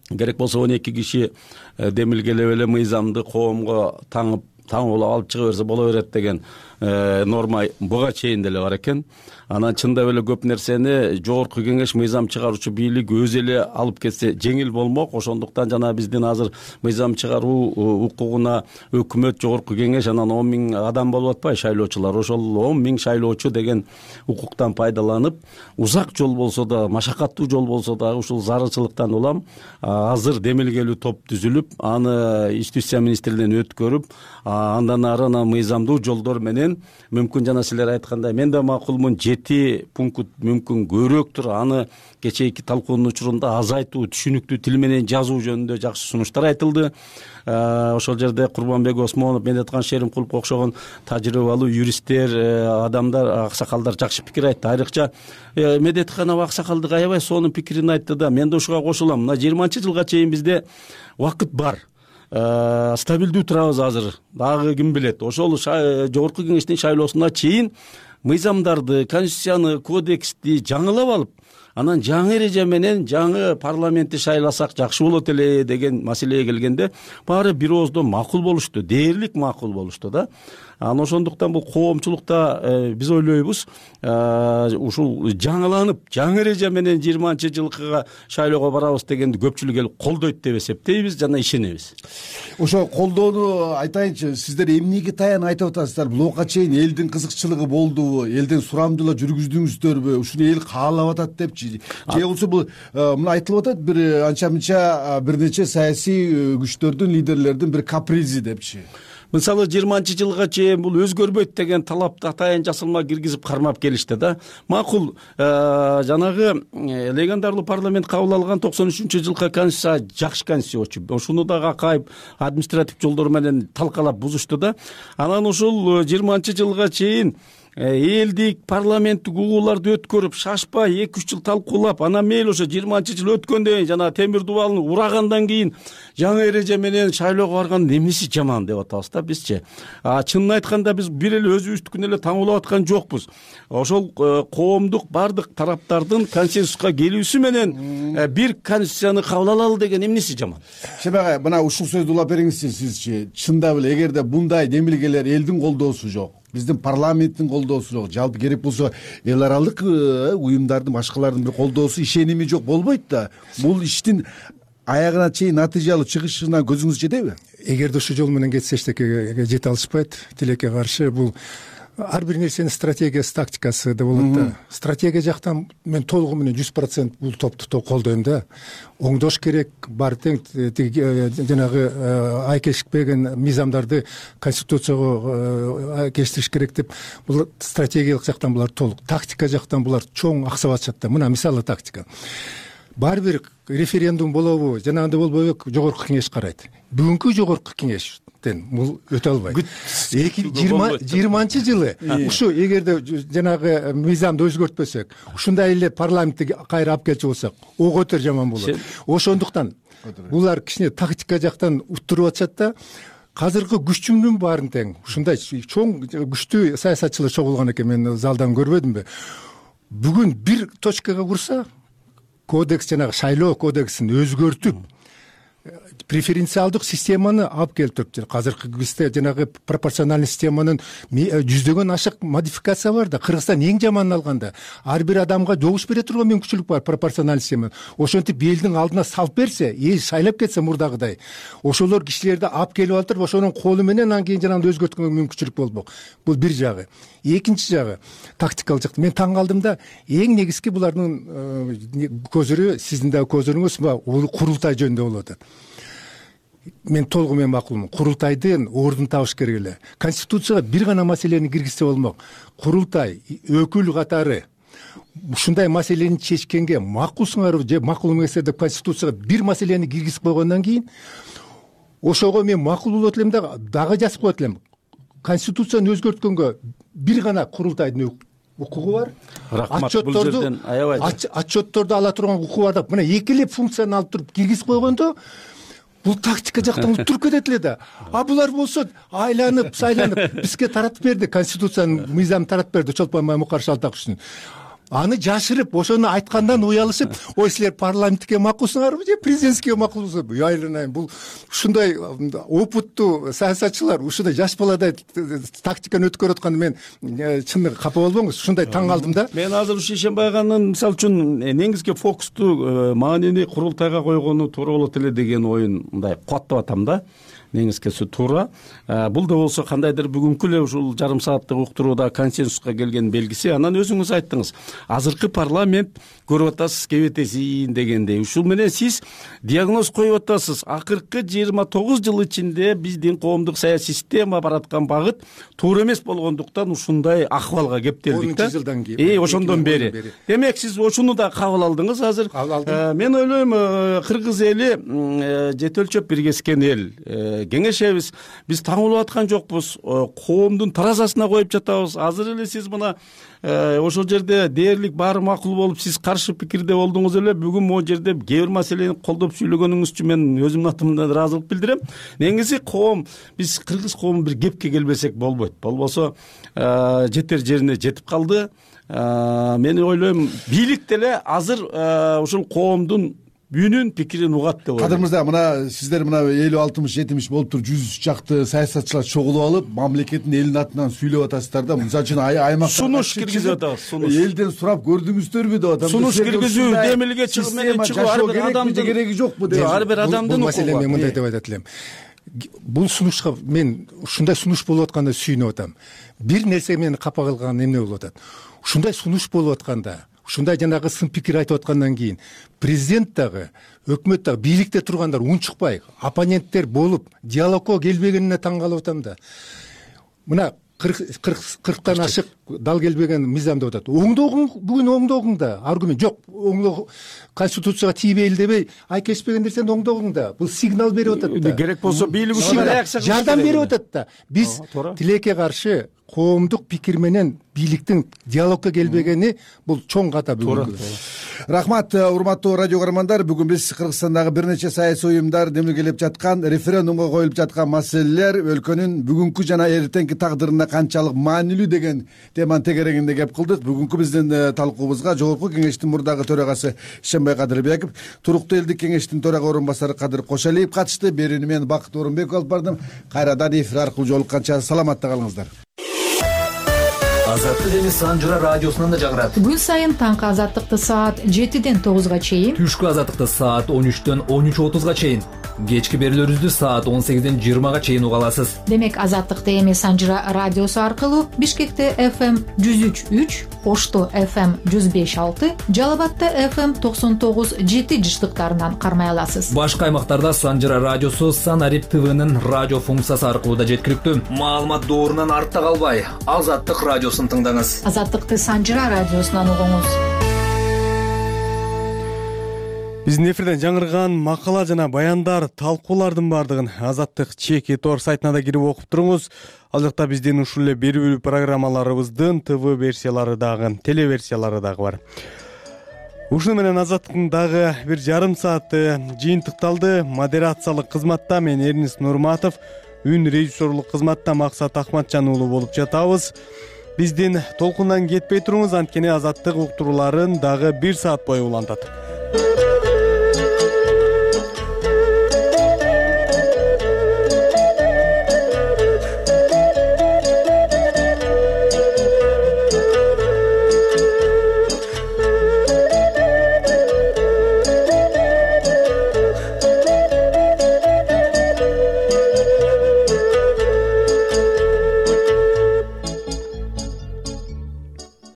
Керек болсо 12 киши демилгелеп эле мыйзамды коомго таңып алып чыга берсе боло берет деген норма буга чейин деле бар экен. Анан чындап эле көп нерсени жогорку кеңеш, мыйзам чыгаруучу бийлик өзү эле алып кетсе жеңил болмок. Ошондуктан жана биздин азыр мыйзам чыгаруу укугуна өкмөт, жогорку кеңеш, анан 10 000 адам болуп атпайбы шайлоочулар. Ошол 10 000 шайлоочу деген укуктан пайдаланып, узак жол болсо да, машакаттуу жол болсо да, ушул зарылчылыктан улам азыр демилгелүү топ түзүлүп, аны юстиция министрлигинен өткөрүп, андан ары мыйзамдуу жолдор менен мүмкүн жана силер айткандай мен да макулмун, 7 пункт мүмкүн көбүрөөктүр. Аны кечээки талкуунун учурунда азайтуу, түшүнүктүү тил менен жазуу жөнүндө жакшы сунуштар айтылды. Ошол жерде Курманбек Осмонов, Медеткан Шеримкуловго окшогон тажрыйбалуу юристтер, адамдар, аксакалдар жакшы пикир айтты. Айрыкча Медетканов аксакалдык аябай сонун пикирин айтты да. Мен да ушуга кошулам. Мына 20-жылга чейин бизде убакыт бар. Стабилдүү турабыз азыр. Дагы ким билет. Ошол жогорку кеңештин шайлоосуна чейин мыйзамдарды, конституцияны, кодексти жаңылап алып, анан жаңы эреже менен жаңы парламентти шайласак жакшы болот эле деген маселеге келгенде баары бир ооздон макул болушту, дээрлик макул болушту да. Анан ошондуктан бул коомчулукта биз ойлойбуз, ушул жаңыланып, жаңы эреже менен 20-жылкыга шайлоого барабыз дегенди көпчүлүк эл колдойт деп эсептейбиз жана ишенебиз. Ошо колдоону айтайынчы, сиздер эмнеге таян айтып атасыздар? Буга чейин элдин кызыкчылыгы болдубу? Элден сурамдуулар жүргүздүңүздөрбү? Ушуну эл каалап атат депчи? Же болбосо бул мына айтылып атат, бир анча-мынча бир нече саясий күчтөрдүн, лидерлердин бир капризи депчи? Мисалы 20-жылга чейин бул өзгөрбөйт деген талапты атайын жасалма киргизип кармап келишти да. Макул, жанагы легендарлуу парламент кабыл алган 93-жылкы конституция жакшы конституция. Ошуну дагы акайып административ жолдор менен талкалап бузушту да. Анан ушул 20-жылга чейин элдик парламенттик угууларды өткөрүп, шашпай 2-3 жыл талкуулап, анан мейли ошо 20-жыл өткөндөн кийин жана темир дубалны урагандан кийин жаңы эреже менен шайлоого барган эмнеси жаман деп атабыз да бизчи. Чынын айтканда биз бир эле өзүбүздүкүн эле таңуулап аткан жокпуз. Ошол коомдук бардык тараптардын консенсуска келүүсү менен бир конституцияны кабыл алалы деген эмнеси жаман? Шемагай, мына ушул сөздү улап бериңизчи сизчи. Чындап эле эгерде бундай демилгелер элдин колдоосу жок, биздин парламенттин колдоосу жок, жалпы керек болсо эл аралык уюмдардын, башкалардын бир колдоосу, ишеними жок болбойт да. Бул иштин аягына чейин натыйжалуу чыгышына көзүңүз жетеби? Эгерде ушул жол менен кетсе эчтекеге жете алышпайт. Тилекке каршы бул ар бир нерсенин стратегиясы, тактикасы да болот да. Стратегия жактан мен толугу менен 100% бул топту колдойм да. Оңдош керек, баары тең жанагы айкешпеген мыйзамдарды конституцияга кештириш керек деп, бул стратегиялык жактан булар толук. Тактика жактан булар чоң аксап атышат да. Мына мисалы тактика. Баары бир референдум болобу, жанагындай болбойбу, жогорку кеңеш карайт. Бүгүнкү жогорку кеңеш бул өтө албайт. 2020-жылы ушу эгерде жанагы мыйзамды өзгөртпөсөк, ушундай эле парламентти кайра алып келчү болсок, ого өтөр жаман болот. Ошондуктан булар кичине тактика жактан уттуруп атышат да. Азыркы күчүмдүн баарын тең ушундай чоң күчтүү саясатчылар чогулган экен, мен залдан көрбөдүмбү. Бүгүн бир точкага курса, кодекс, жанагы шайлоо кодексин өзгөртүп, преференциалдык системаны алып келтирип, азыркы бизде жанагы пропорциональный системанын жүздөгөн ашык модификация бар да. Кыргызстан эң жаманын алганда ар бир адамга жогуш бере турган мүмкүнчүлүк бар пропорциональный система. Ошентип элдин алдына салып берсе, эл шайлап кетсе мурдагыдай, ошолор кишилерди алып келип алып, ошонун колу менен анан кийин жанагы өзгөрткөнгө мүмкүнчүлүк болмок. Бул бир жагы. Экинчи жагы тактикалык жакта. Мен таң калдым да, эң негизги булардын көзүрү, сиздин да көзүрүңүз курултай жөнүндө болуп атат. Мен толугу менен макулмун. Курултайдын ордун табыш керек эле. Конституцияга бир гана маселени киргизсе болмок. Курултай өкүл катары ушундай маселени чечкенге макулсуңарбы же макул эмессиңер деп Конституцияга бир маселени киргизип койгондон кийин ошого мен макул болот элем да, дагы жазып коет элем. Конституцияны өзгөрткөнгө бир гана курултайдын укугу бар. Отчетторду ала турган укугу бар да. Мына эки эле функцияны алып туруп киргизип койгондо бул тактика жактан уттуруп кетет эле да. А булар болсо айланып, сайланып бизге таратып берди, Конституциянын мыйзамын таратып берди Чолпон Маймукар Шалтаковичтин. Аны жашырып, ошону айткандан уялышып, ой силер парламентке макулсуңарбы же президентке макулсуңарбы? Айланайын, бул ушундай опыттуу саясатчылар ушундай жаш баладай тактиканы өткөрүп атканда мен чын капа болбоңуз, ушундай таң калдым да. Мен азыр ушу Ишенбай аганын мисалы үчүн негизги фокусту маанини курултайга койгону туура болот эле деген оюн мындай кубаттап атам да. Негизгиси туура. Бул да болсо кандайдыр бүгүнкү эле ушул жарым сааттык уктурууда консенсуска келген белгиси. Анан өзүңүз айттыңыз, азыркы парламент көрүп атасыз кебетесин дегендей. Ушул менен сиз диагноз коюп атасыз. Акыркы 29 жыл ичинде биздин коомдук саясий система бараткан багыт туура эмес болгондуктан ушундай акыбалга кептелдик да. 10 жылдан кийин. Ошондон бери. Демек сиз ошону да кабыл алдыңыз азыр. Мен ойлойм, кыргыз эли жете өлчөп биргескен эл. Кеңешебиз, биз таңылып аткан жокпуз, коомдун таразасына коюп жатабыз. Азыр эле сиз мына ошол жерде дээрлик баары макул болуп, сиз каршы пикирде болдуңуз эле. Бүгүн могу жерде кээ бир маселени колдоп сүйлөгөнүңүз үчүн мен өзүмдүн атымдан ыраазылык билдирем. Негизи коом, биз кыргыз коому бир кепке келбесек болбойт. Болбосо жетер жерине жетип калды. Мен ойлойм, бийлик деле азыр ушул коомдун үнүн, пикирин угат деп ойлойм. Кадырмызда, мына сиздер мына 50-60-70 болуп туруп 100 чакты саясатчылар чогулуп алып, мамлекеттин элдин атынан сүйлөп атасыздар да. Мисалы үчүн аймактарга сунуш киргизип атабыз. Элден сурап көрдүңүздөрбү деп атам. Сунуш киргизүү, демилге чыгып менен чыгуу ар бир адамдын кереги жокпу деп. Ар бир адамдын бул маселени мен мындай деп айтат элем. Бул сунушка мен ушундай сунуш болуп атканда сүйүнүп атам. Бир нерсе мени капа кылган эмне болуп атат? Ушундай сунуш болуп атканда, ушундай жанагы сын пикир айтып аткандан кийин президент дагы, өкмөт дагы, бийликте тургандар унчукпай, оппоненттер болуп, диалогко келбегенине таң калып атам да. Мына 40тан ашык дал келбеген мыйзам деп атат. Оңдогуң, бүгүн оңдогуң да, аргумент жок. Оңдоо Конституцияга тийбейли дебей, айкешпеген нерсени оңдогуң да. Бул сигнал берип атат да. Керек болсо бийлик үчүн жардам берип атат да. Биз тилекке каршы коомдук пикир менен бийликтин диалогко келбегени бул чоң ката бүгүн. Рахмат, урматтуу радио көрөрмандар. Бүгүн биз Кыргызстандагы бир нече саясий уюмдар демилгелеп жаткан, референдумга коюлуп жаткан маселелер, өлкөнүн бүгүнкү жана эртеңки тагдырына канчалык маанилүү деген теманын тегерегинде кеп кылдык. Бүгүнкү биздин талкуубузга Жогорку Кеңештин мурдагы төрагасы Ишенбай Кадырбеков, Туруктуу элдик кеңештин төрага орун басары Кадыр Кошалиев катышты. Берүүнү мен Бакыт Орунбеков алып бардым. Кайрадан эфир аркылуу жолукканча саламатта калыңыздар. Азаттык деңиз Санжыра радиосунан да жаңырат. Күн сайын таңкы азаттыкты саат 7-ден 9-га чейин, түшкү азаттыкты саат 13-дөн 13:30-га чейин Кечки берүүлөрүбүздү саат 18-20 чейин уга аласыз. Демек Азаттык ТМ Санжыра радиосу аркылуу Бишкекте FM 103.3, Ошто FM 105.6, Жалал абадта FM 99.7 жыштыктарынан кармай аласыз. Башка аймактарда Санжыра радиосу Санарип ТВнын радио функциясы аркылуу да жеткиликтүү. Маалымат доорунан артта калбай, Азаттык радиосун тыңдаңыз. Азаттыкты Санжыра радиосунан угуңуз. Биздин эфирден жаңырган макала жана баяндар, талкуулардын баардыгын Азаттык чеки тор сайтына да кирип окуп туруңуз. Ал жакта биздин ушул эле берүү программаларыбыздын ТВ версиялары дагы, телеверсиялары дагы бар. Ушуну менен Азаттыктын дагы бир жарым сааты жыйынтыкталды. Модерациялык кызматта мен Эрнис Нурматов, үн режиссерлук кызматта Максат Ахматжан уулу болуп жатабыз. Биздин толкундан кетпей туруңуз, анткени Азаттык уктурууларын дагы 1 саат бою улантат.